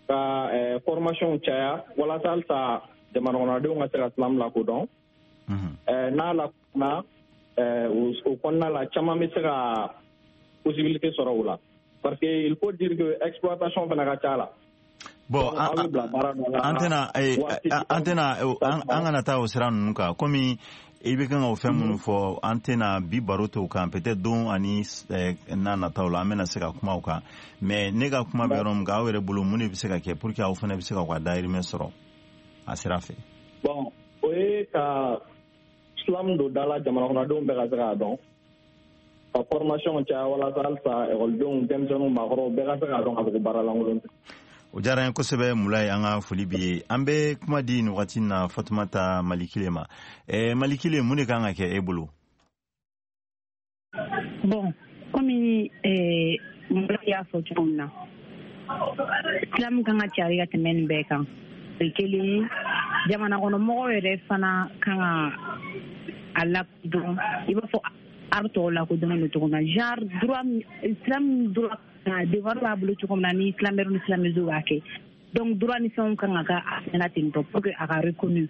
ka formation caya, walasa halisa jamana kɔnɔdenw ka se ka slam lakodɔn. N'a lakodɔnna, o kɔnɔna la caman bɛ se ka possibilité sɔrɔ o la, parce que il faut dire que exploitation fana ka ca la. Bon, an tɛna an kana taa o sira ninnu kan komi I bɛ kan ka o fɛn minnu fɔ, an tɛna bi baro t'o kan. Peut-être don ani n'a nataw la, an bɛna se ka kuma o kan. Mais ne ka kuma bɛ yɔrɔ min kan, aw yɛrɛ bolo, mun de bɛ se ka kɛ pour que aw fana bɛ se k'aw ka dahirimɛ sɔrɔ a sira fɛ? Bon, o ye ka slam don da la, jamana kɔnɔdenw bɛɛ ka se k'a dɔn, ka formation caya walasa halisa ekɔlidenw, denmisɛnninw, maakɔrɔw bɛɛ ka se k'a dɔn k'a fɔ ko baara lankolon tɛ. O diyara n ye kosɛbɛ, Mulayi. An ka foli b'i ye. An bɛ kuma di nin wagati na Fatumata Malikile ma. Malikile, mun de kan ka kɛ e bolo? Bon, komi Mulayi y'a fɔ cogo min na, slam kan ka cari ka tɛmɛ nin bɛɛ kan. O ye kelen ye. Jamana kɔnɔ mɔgɔw yɛrɛ fana kan ka a lakodɔn i b'a fɔ art tɔw lakodɔnnen don cogo min na, genre droit, slam droit, devoir b'a bolo cogo min na ni slameur ni slameuse b'a kɛ. Donc droit ni fɛnw kan ka kɛ a fɛnɛ na ten tɔ pour que a ka reconnu,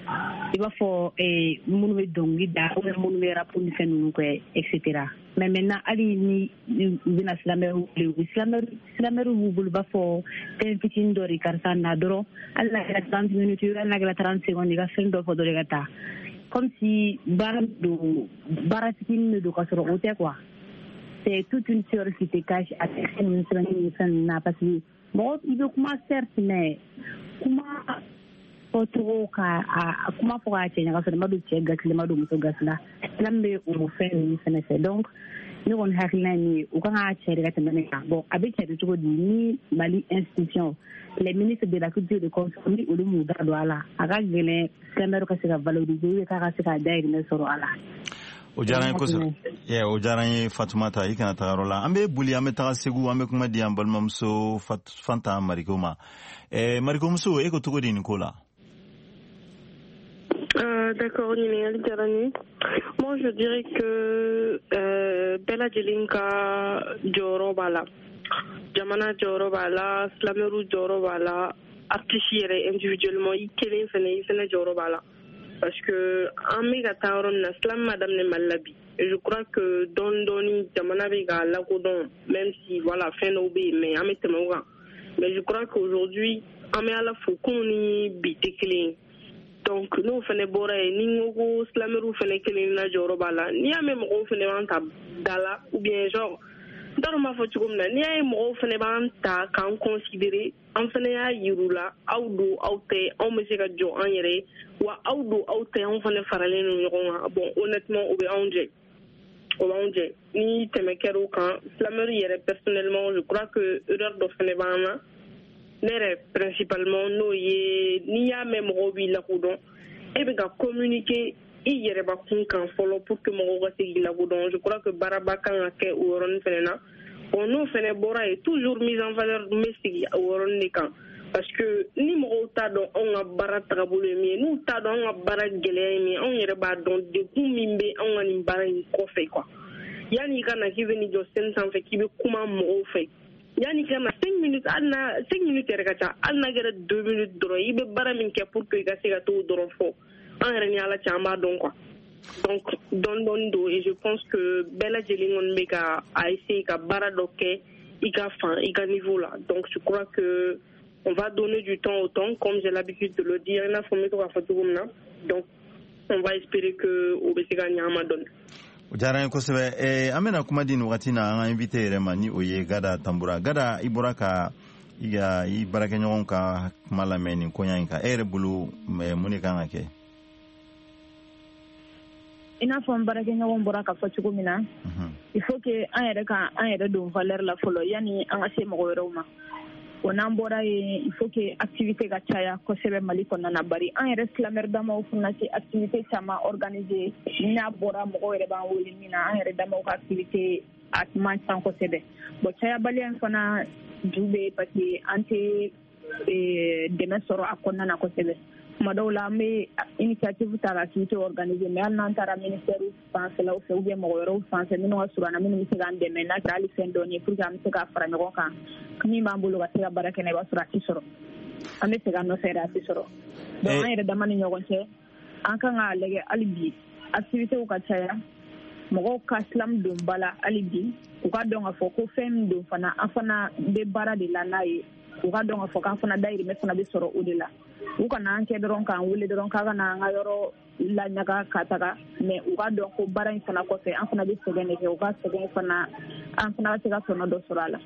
i b'a fɔ minnu bɛ dɔnkili da ou bien minnu bɛ rap ni fɛn ninnu kɛ, et cetera. Mais maintenant, hali ni u bɛna slameur wele, u bɛ slameur b'u bolo, i b'a fɔ fɛn fitinin dɔ de, karisa na dɔrɔn, hali n'a kɛra 30 minutes, hali n'a kɛra 30 secondes, i ka fɛn dɔ fɔ dɔrɔn, i ka taa, comme si baara don, baara fitinin de don, ka sɔrɔ o tɛ quoi. C'est toute une théorie qui te cache a fɛn ninnu sɛbɛnni ni fɛn ninnu na, parce que mɔgɔ i bɛ kuma certes, mais kuma fɔcogo ka a kuma fɔ k'a cɛ ɲa, ka sɔrɔ i ma don cɛ gasi la, i ma don muso gasi la. Slam bɛ o fɛn ninnu fɛnɛ fɛ. Donc ne kɔni hakilina ye min ye, u kan k'a cɛri ka tɛmɛ nin kan. Bon, a bɛ cɛri cogo di ni Mali institution, les ministres de la culture de consort, ni olu m'u da don a la, a ka gɛlɛn slameur ka se ka valoriser ou k'a ka se k'a dahirimɛ sɔrɔ a la. O diyara n ye kosɛbɛ, o diyara n ye. Fatumata, i kana taga yɔrɔ la. An bɛ boli, an bɛ taga Segu, an bɛ kuma di an balimamuso Fanta Mariko ma. Marikomuso, e ko cogo di nin ko la? D'accord, ɲininkali diyara n ye. Moi, je dirais que bɛɛ lajɛlen ka jɔyɔrɔ b'a la. Jamana jɔyɔrɔ b'a la, slameurw jɔyɔrɔ b'a la, artiste yɛrɛ individuellement, i kelen fɛnɛ, i fɛnɛ jɔyɔrɔ b'a la. Parce que an bɛ ka taa yɔrɔ min na, slam ma daminɛ Mali la bi. Et je crois que dɔɔni dɔɔni jamana bɛ k'a lakodɔn, même si voilà, fɛn dɔw bɛ yen, mais an bɛ tɛmɛ o kan. Mais je crois qu'aujourd'hui, an bɛ Ala fo, kunun ni bi tɛ kelen ye. Donc n'o fɛnɛ bɔra yen, ni n ko ko slameurw fɛnɛ kelen na jɔyɔrɔ b'a la, n'i y'a mɛn mɔgɔw fɛnɛ b'an ta da la, ou bien genre n t'a dɔn n b'a fɔ cogo min na, n'i y'a ye mɔgɔw fɛnɛ b'an ta k'an considérer, an fɛnɛ y'a yir'u la, aw don aw tɛ, anw bɛ se ka jɔ an yɛrɛ ye, wa aw don aw tɛ, anw fɛnɛ faralen don ɲɔgɔn kan. Bon, honnêtement, o bɛ anw jɛ, o b'anw jɛ. Ni tɛmɛ kɛra o kan, slameur yɛrɛ personnellement, je crois que erreur dɔ fɛnɛ b'an na, ne yɛrɛ principalement, n'o ye n'i y'a mɛn mɔgɔw b'i lakodɔn, e bɛ ka communiquer i yɛrɛbakun kan fɔlɔ pour que mɔgɔw ka se k'i lakodɔn. Je crois que baaraba kan ka kɛ o yɔrɔnin fɛnɛ na. Bon, n'o fɛnɛ bɔra yen, toujours mise en valeur, n bɛ sigi o yɔrɔnin de kan, parce que ni mɔgɔw t'a dɔn anw ka baara tagabolo ye min ye, n'u t'a dɔn anw ka baara gɛlɛya ye min ye, anw yɛrɛ b'a dɔn degun min bɛ anw ka nin baara in kɔfɛ quoi. Yanni i ka na k'i bɛ n'i jɔ scène sanfɛ k'i bɛ kuma mɔgɔw fɛ, yanni ka na 5 minutes, hali n'a 5 minutes yɛrɛ ka ca, hali n'a kɛra 2 minutes dɔrɔn, i bɛ baara min kɛ pour que i ka se ka t'o dɔrɔn fɔ, an yɛrɛ ni Ala cɛ, an b'a dɔn quoi. Donc dɔɔni dɔɔni don, et je pense que bɛɛ lajɛlen kɔni bɛ ka a essayer ka baara dɔ kɛ i ka fan, i ka niveau la. Donc je crois que on va donner du temps au temps, comme j'ai l'habitude de le dire, i n'a fɔ n bɛ to k'a fɔ cogo min na. Donc on va espérer que o bɛ se ka ɲɛ an ma dɔɔni. O diyara n ye kosɛbɛ. An bɛna kuma di nin wagati na an ka invité yɛrɛ ma, ni o ye Gada Tanbura. Gada, i bɔra ka i ka i baarakɛɲɔgɔnw ka kuma lamɛn nin koɲa in kan. E yɛrɛ bolo, mun de kan ka kɛ? I n'a fɔ n baarakɛɲɔgɔn bɔra ka fɔ cogo min na, il faut que an yɛrɛ ka an yɛrɛ don valeur la fɔlɔ yanni an ka se mɔgɔ wɛrɛw ma. O n'an bɔra yen, il faut que activité ka caya kosɛbɛ Mali kɔnɔna na, bari an yɛrɛ slameur damaw fana tɛ activité caman organiser. N'a bɔra mɔgɔw yɛrɛ b'an wele min na, an yɛrɛ damaw ka activité a man ca kosɛbɛ. Bon, cayabaliya in fana ju bɛ parce que an tɛ dɛmɛ sɔrɔ a kɔnɔna na kosɛbɛ. Tuma dɔw la, an bɛ initiative ta ka activité organiser, mais hali n'an taara ministère fanfɛlaw fɛ ou bien mɔgɔ wɛrɛw fan fɛ minnu ka surun an na, minnu bɛ se k'an dɛmɛ, n'a kɛra hali fɛn dɔɔni ye pour que an bɛ se ka fara ɲɔgɔn kan, min b'an bolo ka se ka baara kɛ n'a ye, i b'a sɔrɔ a tɛ sɔrɔ. An bɛ segin a nɔfɛ yɛrɛ, a tɛ sɔrɔ. Donc an yɛrɛ dama ni ɲɔgɔn cɛ, an kan k'a lajɛ hali bi activités ka caya, mɔgɔw ka slam don ba la hali bi, u ka dɔn k'a fɔ ko fɛn min don fana, an fana bɛ baara de la n'a ye, u ka dɔn k'a fɔ k'an fana dayirimɛ fana bɛ sɔrɔ o de la. U kana an kɛ dɔrɔn k'an wele dɔrɔn k'a ka na an ka yɔrɔ laɲaga ka taga, mais u ka dɔn ko baara in fana kɔfɛ an fana bɛ sɛgɛn de kɛ, u ka sɛgɛn fana an fana ka se ka tɔnɔ dɔ sɔrɔ a la.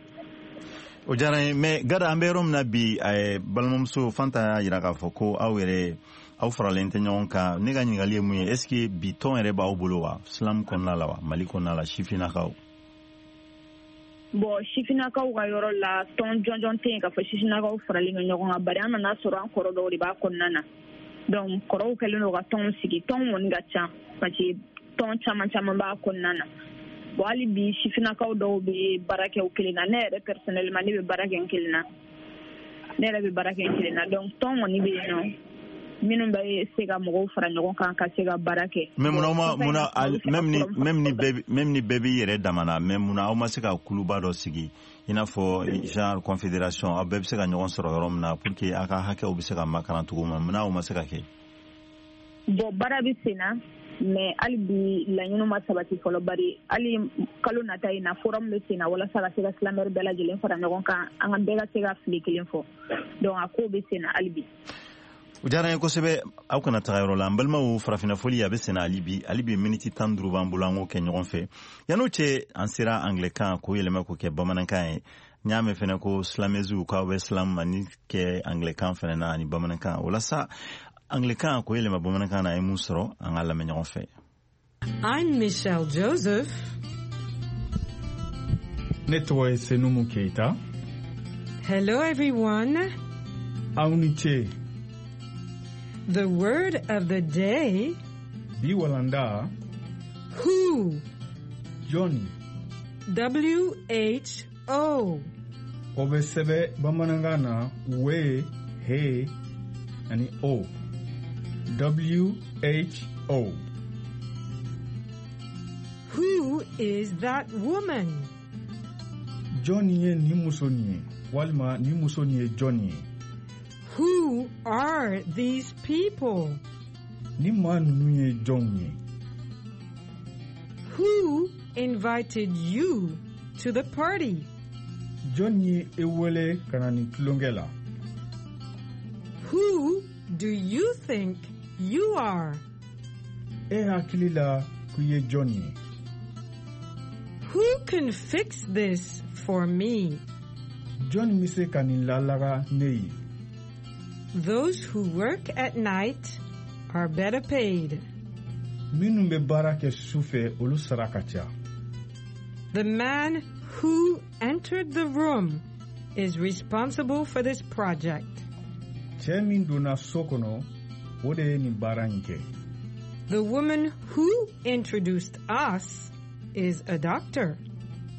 O diyara n ye, mais Gada, an bɛ yɔrɔ min na bi, balimamuso Fanta y'a jira k'a fɔ ko aw yɛrɛ aw faralen tɛ ɲɔgɔn kan. Ne ka ɲininkali ye mun ye, est ce que bi tɔn yɛrɛ b'aw bolo wa, slam kɔnɔna la wa, Mali kɔnɔna la, sifinnakaw? Bon, sifinnakaw ka yɔrɔ la, tɔn jɔnjɔn tɛ yen k'a fɔ sifinnakaw faralen don ɲɔgɔn kan, bari an nana sɔrɔ an kɔrɔ dɔw de b'a kɔnɔna na. Donc kɔrɔw kɛlen don ka tɔnw sigi, tɔn kɔni ka ca parce que tɔn caman caman b'a kɔnɔna na. Bon, hali bi sifinnakaw dɔw bɛ baara kɛ u kelen na. Ne yɛrɛ personnellement, ne bɛ baara kɛ n kelen na, ne yɛrɛ bɛ baara kɛ n kelen na. Donc tɔn kɔni bɛ yen nɔ minnu bɛ se ka mɔgɔw fara ɲɔgɔn kan ka se ka baara kɛ. Mais munna munna même ni bɛɛ b'i yɛrɛ dama na, mais munna aw ma se ka kuluba dɔ sigi, i n'a fɔ genre confédération, aw bɛɛ bɛ se ka ɲɔgɔn sɔrɔ yɔrɔ min na pour que aw ka hakɛw bɛ se ka makaran cogo min na? Munna aw ma se ka kɛ? Bon, baara bɛ sen na, mais hali bi laɲiniw ma sabati fɔlɔ, bari hali kalo nata in na, forum bɛ sen na walasa ka se ka slameur bɛɛ lajɛlen fara ɲɔgɔn kan, an ka bɛɛ ka se ka fili kelen fɔ. Donc a ko bɛ sen na hali bi. O diyara n ye kosɛbɛ. Aw kana taga yɔrɔ la, n balimaw. Farafinna foli a bɛ senna hali bi. Hali bi miniti 15 b'an bolo, an k'o kɛ ɲɔgɔn fɛ. Yan'o cɛ, an sera anglɛkan k'o yɛlɛma k'o kɛ bamanankan ye. N y'a mɛn fɛnɛ ko slameusew k'aw bɛ slam ani kɛ anglɛkan fɛnɛ na ani bamanankan. O la sa, anglɛkan k'o yɛlɛma bamanankan na, a ye mun sɔrɔ? An ka lamɛn ɲɔgɔn fɛ. I'm Michelle Joseph. Ne tɔgɔ ye Senumu Keita. Hello, everyone. Aw ni ce. The word of the day. Bi walanda. Who. Jɔnni. W H O. O bɛ sɛbɛ bamanankan na W, H ani O. W H O. Who is that woman? Jɔnni ye nin muso nin ye, walima nin muso nin ye jɔnni ye? Who are these people? Nin maa ninnu ye jɔnw ye? Who invited you to the party? Jɔnni ye e wele ka na nin tulonkɛ la? Who do you think you are? E hakili la k'i ye jɔnni ye? Who can fix this for me? Jɔnni bɛ se ka nin lalaga ne ye? Those who work at night are better paid. Minnu bɛ baara kɛ su fɛ, olu sara ka ca. The man who entered the room is responsible for this project. Cɛ min donna so kɔnɔ, o de ye nin baara in kɛ. The woman who introduced us is a doctor.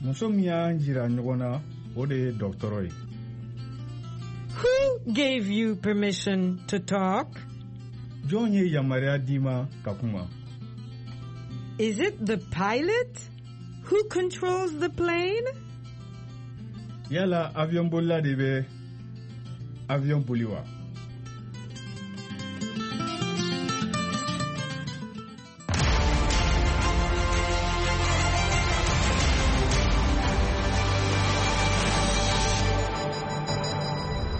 Muso min y'an jira ɲɔgɔn na, o de ye dɔgɔtɔrɔ ye. Who gave you permission to talk? Jɔn ye yamaruya d'i ma ka kuma? Is it the pilot who controls the plane? Yala avion bolila de bɛ avion boli wa?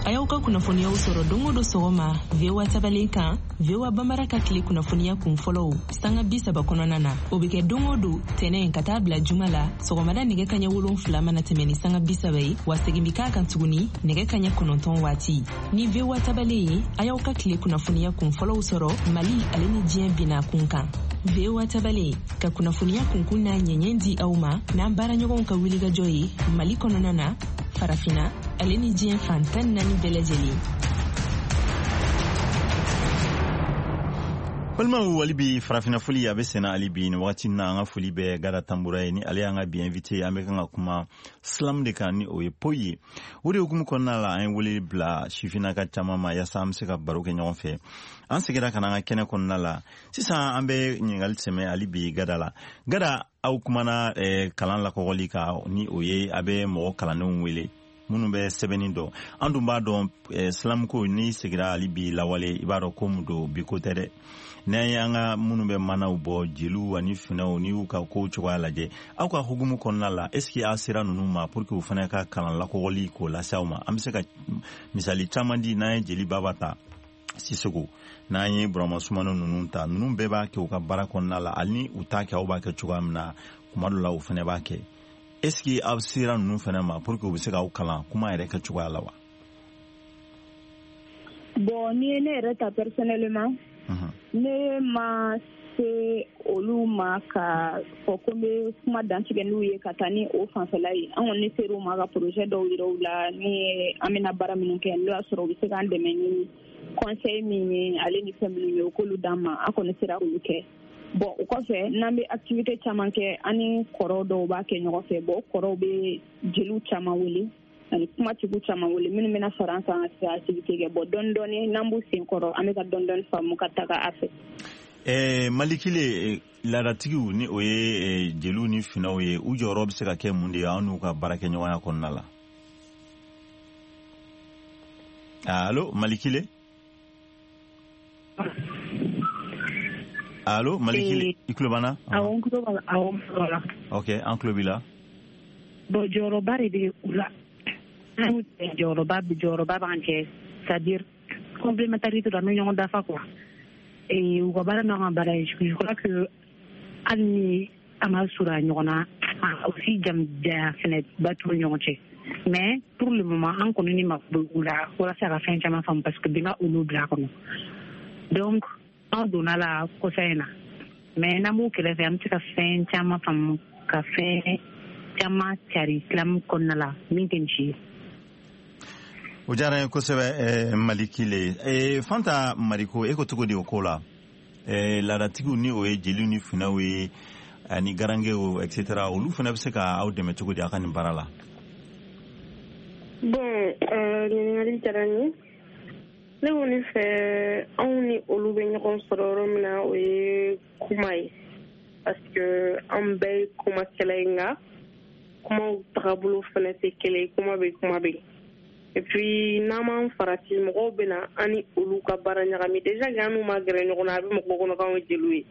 A y'aw ka kunnafoniyaw sɔrɔ don o don sɔgɔma VOA tabalen kan, VOA Bambara ka tile kunnafoniya kun fɔlɔw sanga 30 kɔnɔna na. O bɛ kɛ don o don, tɛnɛ ka taa bila juma la, sɔgɔmada nɛgɛ kaɲɛ 7 mana tɛmɛ ni sanga 30 ye, wa segin bi k'a kan tuguni nɛgɛ kaɲɛ 9 waati. Ni VOA tabalen ye, a y'aw ka tile kunnafoniya kun fɔlɔw sɔrɔ Mali ale ni diɲɛ bina kun kan. VOA tabalen ka kunnafoniya kunkun n'a ɲɛɲɛ di aw ma n'an baaraɲɔgɔnw ka wulikajɔ ye Mali kɔnɔna na, Farafina ale ni diɲɛ fan 14 bɛɛ lajɛlen. Balimaw, hali bi Farafinna foli a bɛ senna hali bi nin wagati na. An ka foli bɛ Gada Tanbura ye, ni ale y'an ka bi invité. An bɛ kan ka kuma slam de kan, ni o ye poyi ye. O de hukumu kɔnɔna la, an ye wele bila sifinnaka caman ma yaasa an bɛ se ka baro kɛ ɲɔgɔn fɛ. An seginna ka na an ka kɛnɛ kɔnɔna la sisan. An bɛ ɲininkali sɛmɛ hali bi Gada la. Gada, aw kumana kalan lakɔgɔli kan, ni o ye a bɛ mɔgɔ kalannenw wele minnu bɛ sɛbɛnni dɔn. An dun b'a dɔn, slamko, n'i segira hali bi lawale, i b'a dɔn ko mun don, bi ko tɛ dɛ. N'an ye an ka minnu bɛ manaw bɔ, jeliw ani finɛw, n'i y'u ka kow cogoya lajɛ, aw ka hukumu kɔnɔna la, est ce que aw sera ninnu ma pour que u fana ka kalan lakɔgɔli k'o lase aw ma? An bɛ se ka misali caman di. N'an ye jeli baba ta, Sisoko, n'an ye Burama Sumano ninnu ta, ninnu bɛɛ b'a kɛ u ka baara kɔnɔna la, hali ni u t'a kɛ aw b'a kɛ cogoya min na, kuma dɔ la u fana b'a kɛ. Est ce que aw sera ninnu fana ma pour que u bɛ se k'aw kalan kuma yɛrɛ kɛ cogoya la wa? Bon, n'i ye ne yɛrɛ ta personnellement, ne ma se olu ma ka fɔ ko n bɛ kuma dantigɛ n'u ye ka taa ni o fanfɛla ye. An kɔni ser'u ma ka projet dɔw yira u la, ni an bɛna baara minnu kɛ, n'o y'a sɔrɔ u bɛ se k'an dɛmɛ ni conseil min ye, ale ni fɛn minnu ye, u k'olu d'an ma. An kɔni sera k'olu kɛ. Bon, o kɔfɛ, n'an bɛ activité caman kɛ, an ni kɔrɔw dɔw b'a kɛ ɲɔgɔn fɛ. Bon, o kɔrɔw bɛ jeliw caman wele ani kumatigiw caman wele minnu bɛna fara an kan ka se ka activité kɛ. Bon, dɔɔni dɔɔni, n'an b'u sen kɔrɔ, an bɛ ka dɔɔni dɔɔni faamu ka taga a fɛ. Malikile, laadatigiw, ni o ye jeliw ni finaw ye, u jɔyɔrɔ bɛ se ka kɛ mun de ye aw n'u ka baarakɛɲɔgɔnya kɔnɔna la? Allo, Malikile? Allo, Malikile, i tulo b'an na? Awɔ, n tulo b'a la. Awɔ, n tulo b'a la. Ok, an tulo b'i la. Bon, jɔyɔrɔba de bɛ u la. An jɔyɔrɔba b'an cɛ, c'est à dire complémentarité don, an bɛ ɲɔgɔn dafa quoi. Et u ka baara n'an ka baara ye, je crois que hali ni an ma surunya ɲɔgɔn na, aussi janya fɛnɛ ba t'u ni ɲɔgɔn cɛ. Mais pour le moment, an kɔni ni mako bɛ u la walasa ka fɛn caman faamu, parce que bi ma olu bila a kɔnɔ. Donc an donna la kɔsa in na, mais n'an b'u kɛrɛfɛ, an bɛ se ka fɛn caman faamu, ka fɛn caman cari slam kɔnɔna la min tɛ nin si ye. O diyara n ye kosɛbɛ, Malikile. Fanta Mariko, e ko cogo di o ko la? Laadatigiw, ni o ye jeliw ni finaw ye ani garangew, et cetera, olu fana bɛ se ka aw dɛmɛ cogo di aw ka nin baara la? Bon, ɲininkali diyara n ye. Ne kɔni fɛ, anw ni olu bɛ ɲɔgɔn sɔrɔ yɔrɔ min na, o ye kuma ye, parce que an bɛɛ ye kumakɛla ye, nka kumaw tagabolo fana tɛ kelen ye. Kuma bɛ kuma bɛ, et puis n'an m'an farati, mɔgɔw bɛ na an ni olu ka baara ɲagami. Déjà que an n'u ma gɛrɛ ɲɔgɔn na, a bɛ mɔgɔw kɔnɔ k'anw ye jeliw ye.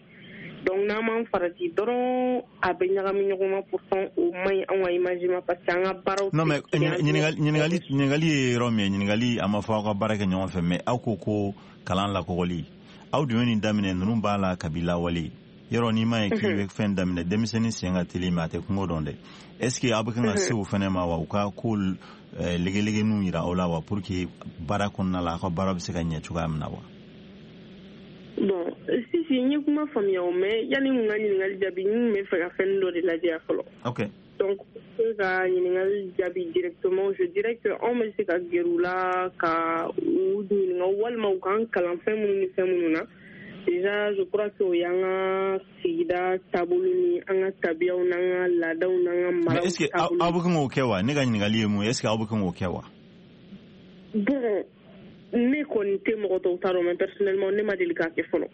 Donc n'an m'an farati dɔrɔn, a bɛ ɲagami ɲɔgɔn na. Pourtant o man ɲi anw ka image ma, parce que an ka baaraw. Non, mais ɲininkali ye yɔrɔ min ye, ɲininkali a ma fɔ aw ka baara kɛ ɲɔgɔn fɛ, mais aw ko ko kalan lakɔgɔli, aw dun ye nin daminɛ, ninnu b'a la kabi lawale. Yɔrɔ n'i ma ye k'i bɛ fɛn daminɛ, denmisɛnnin sen ka teli, mais a tɛ kungo dɔn dɛ. Est ce que aw bɛ kan ka se o fɛnɛ ma wa, u ka ko legelegeniw yira aw la wa, pour que baara kɔnɔna la, aw ka baara bɛ se ka ɲɛ cogoya min na wa? Bon, si si, n ye kuma faamuya o, mais yanni n ka ɲininkali jaabi, n tun bɛ fɛ ka fɛn dɔ de lajɛ fɔlɔ. Ok. Donc pour ka ɲininkali jaabi directement, je dirais que anw bɛ se ka gɛrɛ u la ka u ɲininka, walima u k'an kalan fɛn minnu ni fɛn minnu na. Déjà, je crois que o y'an ka sigida taabolo ni an ka tabiyaw n'an ka laadaw n'an ka maraw. Mais est ce que aw bɛ kan k'o kɛ wa? Ne ka ɲininkali ye mun ye, est ce que aw bɛ kan k'o kɛ wa? Bon, ne kɔni tɛ mɔgɔ tɔw ta dɔn, mais personnellement, ne ma deli k'a kɛ fɔlɔ.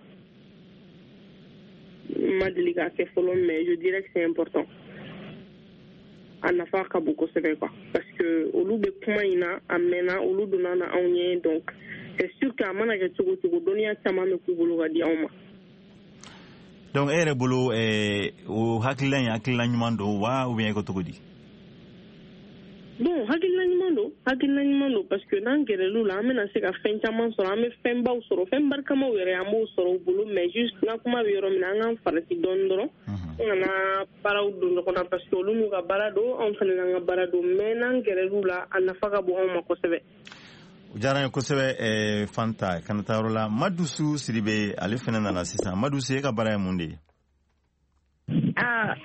N ma deli k'a kɛ fɔlɔ, mais je dirais que c'est important. A nafa ka bon kosɛbɛ quoi, parce que olu bɛ kuma in na a mɛnna, olu donna na anw ye. Donc c'est sûr que a mana kɛ cogo cogo, dɔnniya caman bɛ k'u bolo ka di anw ma. Donc e yɛrɛ bolo, o hakilila in, hakilila ɲuman don wa, ou bien e ko cogo di? Bon, hakilina ɲuman don, hakilina ɲuman don, parce que n'an gɛrɛl'u la, an bɛna se ka fɛn caman sɔrɔ, an bɛ fɛnbaw sɔrɔ, fɛn barikamaw yɛrɛ, an b'o sɔrɔ u bolo. Mais juste n ka kuma bɛ yɔrɔ min na, an k'an farati dɔɔni dɔrɔn, an kana baaraw don ɲɔgɔn na, parce que olu n'u ka baara don, anw fana n'an ka baara don. Mais n'an gɛrɛl'u la, a nafa ka bon anw ma kosɛbɛ. O diyara n ye kosɛbɛ. Fanta, kana taa yɔrɔ la. Madusu Sidibe, ale fana nana sisan. Madusu, e ka baara ye mun de ye? Ah,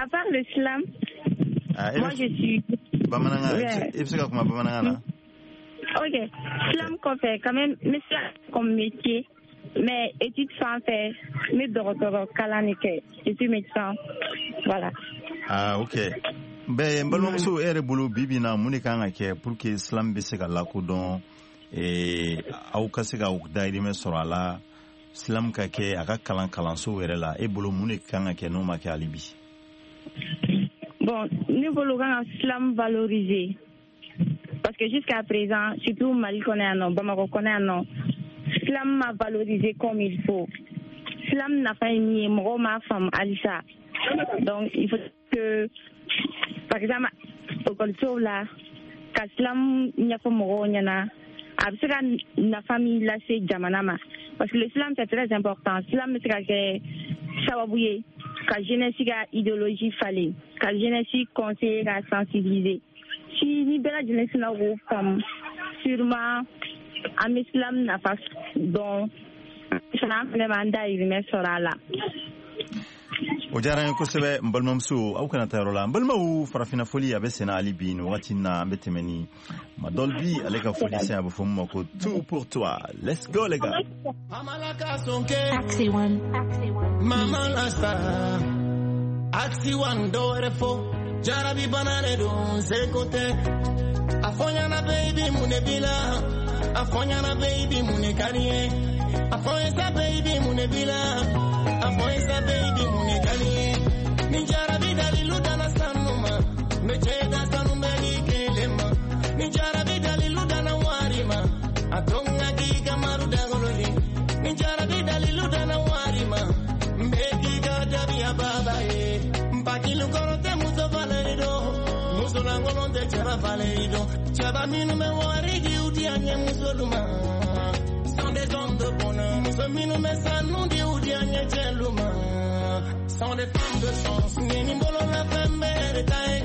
à part le slam, ah, moi je suis. Bamanankan, i bɛ se ka kuma bamanankan na? Ok, slam kɔfɛ, quand même, n bɛ slam comme métier, mais étude fan fɛ, n bɛ dɔgɔtɔrɔ kalan de kɛ. Je suis médecin, voilà. Ah, ok. Bɛɛ n balimamuso, e yɛrɛ bolo, bi bi in na, mun de kan ka kɛ pour que slam bɛ se ka lakodɔn, aw ka se ka dayirimɛ sɔrɔ a la, slam ka kɛ a ka kalan kalansow yɛrɛ la? E bolo, mun de kan ka kɛ n'o ma kɛ hali bi? Bon, ne bolo, kan ka slam valoriser, parce que jusqu'à présent, surtout Mali kɔnɔ yan nɔ, Bamakɔ kɔnɔ yan nɔ, slam ma valoriser comme il faut. Slam nafa ye min ye, mɔgɔw m'a faamu halisa. Donc il faut que, par exemple, ekɔlisow la, ka slam ɲɛfɔ mɔgɔw ɲɛna. A bɛ se ka nafa min lase jamana ma, parce que le slam, c'est très important. Slam bɛ se ka kɛ sababu ye ka jeunesse ka idéologie falen, ka jeunesse conseiller, ka sensibiliser. Si ni bɛɛ lajɛlen sina k'o faamu, sûrement an bɛ slam nafa dɔn fana, an fɛnɛ b'an dahirimɛ sɔrɔ a la. O diyara n ye kosɛbɛ, n balimamuso. Aw kana taa yɔrɔ la, n balimaw. Farafinna foli a bɛ senna hali bi. Nin wagati na, an bɛ tɛmɛ ni Madol bi, ale ka foli sen, a bɛ fɔ min ma ko Tout pour toi. Let's go, les gars. Taxi One. Mama la star. Axi One dɔwɛrɛ fɔ jarabi bana de don, seko tɛ. A fɔ ɲɛna, baby, mun de b'i la? A fɔ ɲɛna, baby, mun de ka di ye? A fɔ n ye sa, baby, mun de b'i la? A fɔ n ye sa, baby, mun de ka di ye? Ni jarabi dalilu dana sanu ma, n bɛ cɛ da sanu bɛ di kelen ma. Ni jarabi dalilu dana wari ma, a to n ka k'i ka maru dagolo ye. Ni jarabi dalilu dana wari ma, n bɛ k'i ka dabiya baba ye. Npakilu kɔrɔ tɛ muso falen don, musolankolon tɛ cɛba falen don. Cɛba minnu bɛ wari di, u di an ye musolu ma, sont des hommes de bonheur. Muso minnu bɛ sanu di, u di an ye cɛlu ma, sont des femmes de chance. Ni nin bolola fɛn bɛɛ de ta ye,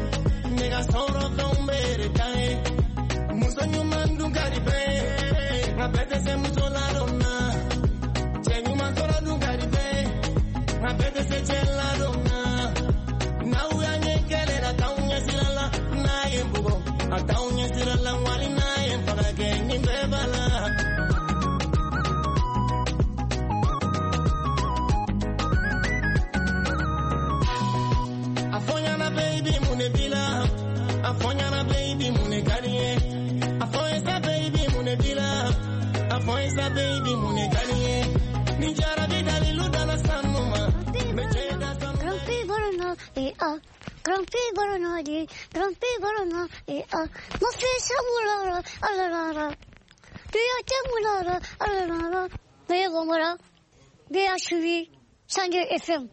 ne ka sɔrɔ fɛnw bɛɛ de ta ye. Muso ɲuman dun ka di bɛɛ ye, nka bɛɛ tɛ se muso ladon na. Cɛ ɲuman sɔrɔ dun ka di bɛɛ ye, nka bɛɛ tɛ se cɛ ladon na. N'aw y'an ye kɛlɛ la, t'anw ɲɛ sira la. N'a ye n bugɔ, a t'anw ɲɛ sira la. Wali n'a ye n faga kɛ, nin bɛɛ b'a la. A fɔ ɲɛna, baby, mun de b'i la? A fɔ ɲɛna, baby, mun de ka di ye? A fɔ n ye sa, baby, mun de b'i la? A fɔ n ye sa, baby, mun de ka di ye? Ni jarabi dalilu dana sanu ma, n bɛ cɛ da sanu. Grand-P Bolona et A. Grand-P Bolona di. Grand-P Bolona et A. Ma fils Amoulala, Alalala. Duya Moulala, Alalala. B Bambara. BHUI, 102 FM.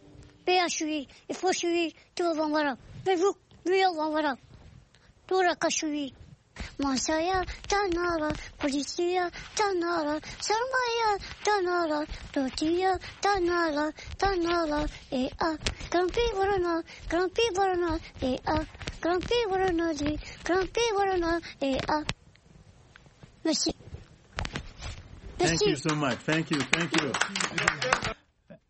BHUI, il faut suivre tout Bambara. Mais vous, B Bambara. Tout la Kashui. Masaya, Tanara, Polisia, Tanara, Sarmaya, Tanara, Tortilla, Tanara, Tanara, et A. Grand-P Bolona, Grand-P Bolona, et A. Grand-P Bolona, di. Grand-P Bolona, et A. Merci. Thank you so much. Thank you. Thank you.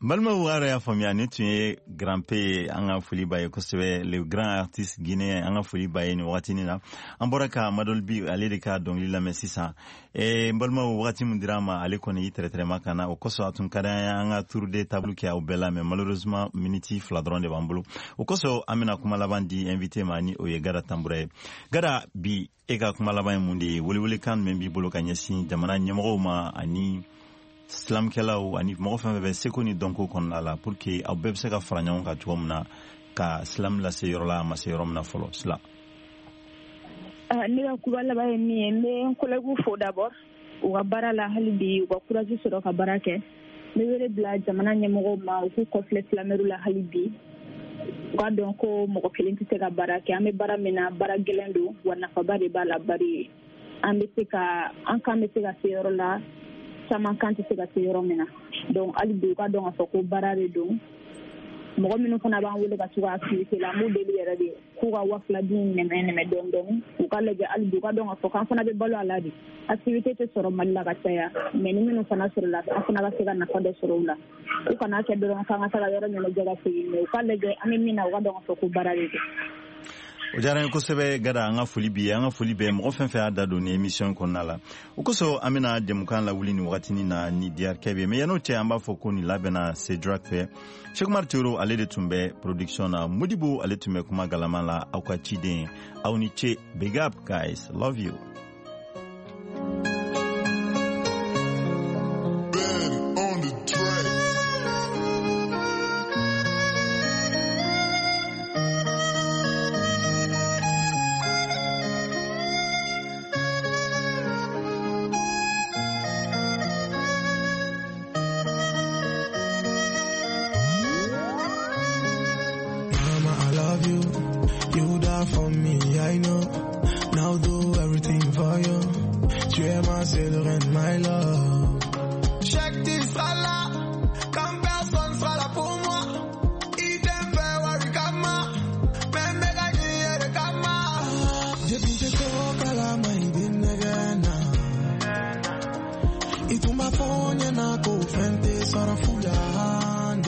N balimaw, yɛrɛ y'a faamuya, nin tun ye Grand P ye. An ka foli b'a ye kosɛbɛ, le grand artiste guinéen. An ka foli b'a ye nin wagatinin na. An bɔra ka Madol bi, ale de ka dɔnkili lamɛn sisan. N balimaw, wagati min dira an ma, ale kɔni y'i tɛrɛtɛrɛma ka na. O kosɔn, a tun ka d'an ye an ka tour de table kɛ aw bɛɛ la, mais malheureusement miniti 2 dɔrɔn de b'an bolo. O kosɔn, an bɛna kuma laban di invité ma, ni o ye Gada Tanbura ye. Gada, bi e ka kuma laban ye mun de ye? Welewelekan jumɛn b'i bolo ka ɲɛsin jamana ɲɛmɔgɔw ma, ani slamkɛlaw, ani mɔgɔ fɛn fɛn bɛ seko ni dɔnko kɔnɔna la, pour que aw bɛɛ bɛ se ka fara ɲɔgɔn kan cogo min na ka slam lase yɔrɔ la a ma se yɔrɔ min na fɔlɔ sila? Ne ka kuma laban ye min ye, n bɛ n collègue fo d'abord u ka baara la. Hali bi u ka courage sɔrɔ ka baara kɛ. N bɛ wele bila jamana ɲɛmɔgɔw ma, u k'u kɔfilɛ slamɛriw la. Hali bi u k'a dɔn ko mɔgɔ kelen tɛ se ka baara kɛ. An bɛ baara min na, baara gɛlɛn don, wa nafaba de b'a la, bari an bɛ se ka an kan bɛ se ka se yɔrɔ la caman kan tɛ se ka se yɔrɔ min na. Donc hali bi u ka dɔn k'a fɔ ko baara de don. Mɔgɔ minnu fana b'an wele ka to ka activité la, an b'u deli yɛrɛ de k'u ka 2000 dun nɛmɛ nɛmɛ dɔɔni dɔɔni. U ka lajɛ hali bi, u ka dɔn k'a fɔ k'an fana bɛ balo a la de. Activité tɛ sɔrɔ Mali la ka caya, mais ni minnu fana sɔrɔla, an fana ka se ka nafa dɔ sɔrɔ u la. U kana kɛ dɔrɔn k'an ka taga yɔrɔ ɲɛnajɛ ka segin, mais u ka lajɛ an bɛ min na, u ka dɔn k'a fɔ ko baara de don. O diyara n ye kosɛbɛ, Gada. An ka foli bi ye, an ka foli bɛ mɔgɔ fɛn fɛn y'a da don ni émission kɔnɔna la. O kosɔn, an bɛna jɛmukan lawuli nin wagatinin na ni DRK bɛ. Mais yan'o cɛ, an b'a fɔ ko nin labɛnna Cédric fɛ. Cheikh Tero, ale de tun bɛ production na. Modibo, ale tun bɛ kuma galama la. Aw ka ciden, aw ni ce. Big up, guys, love you.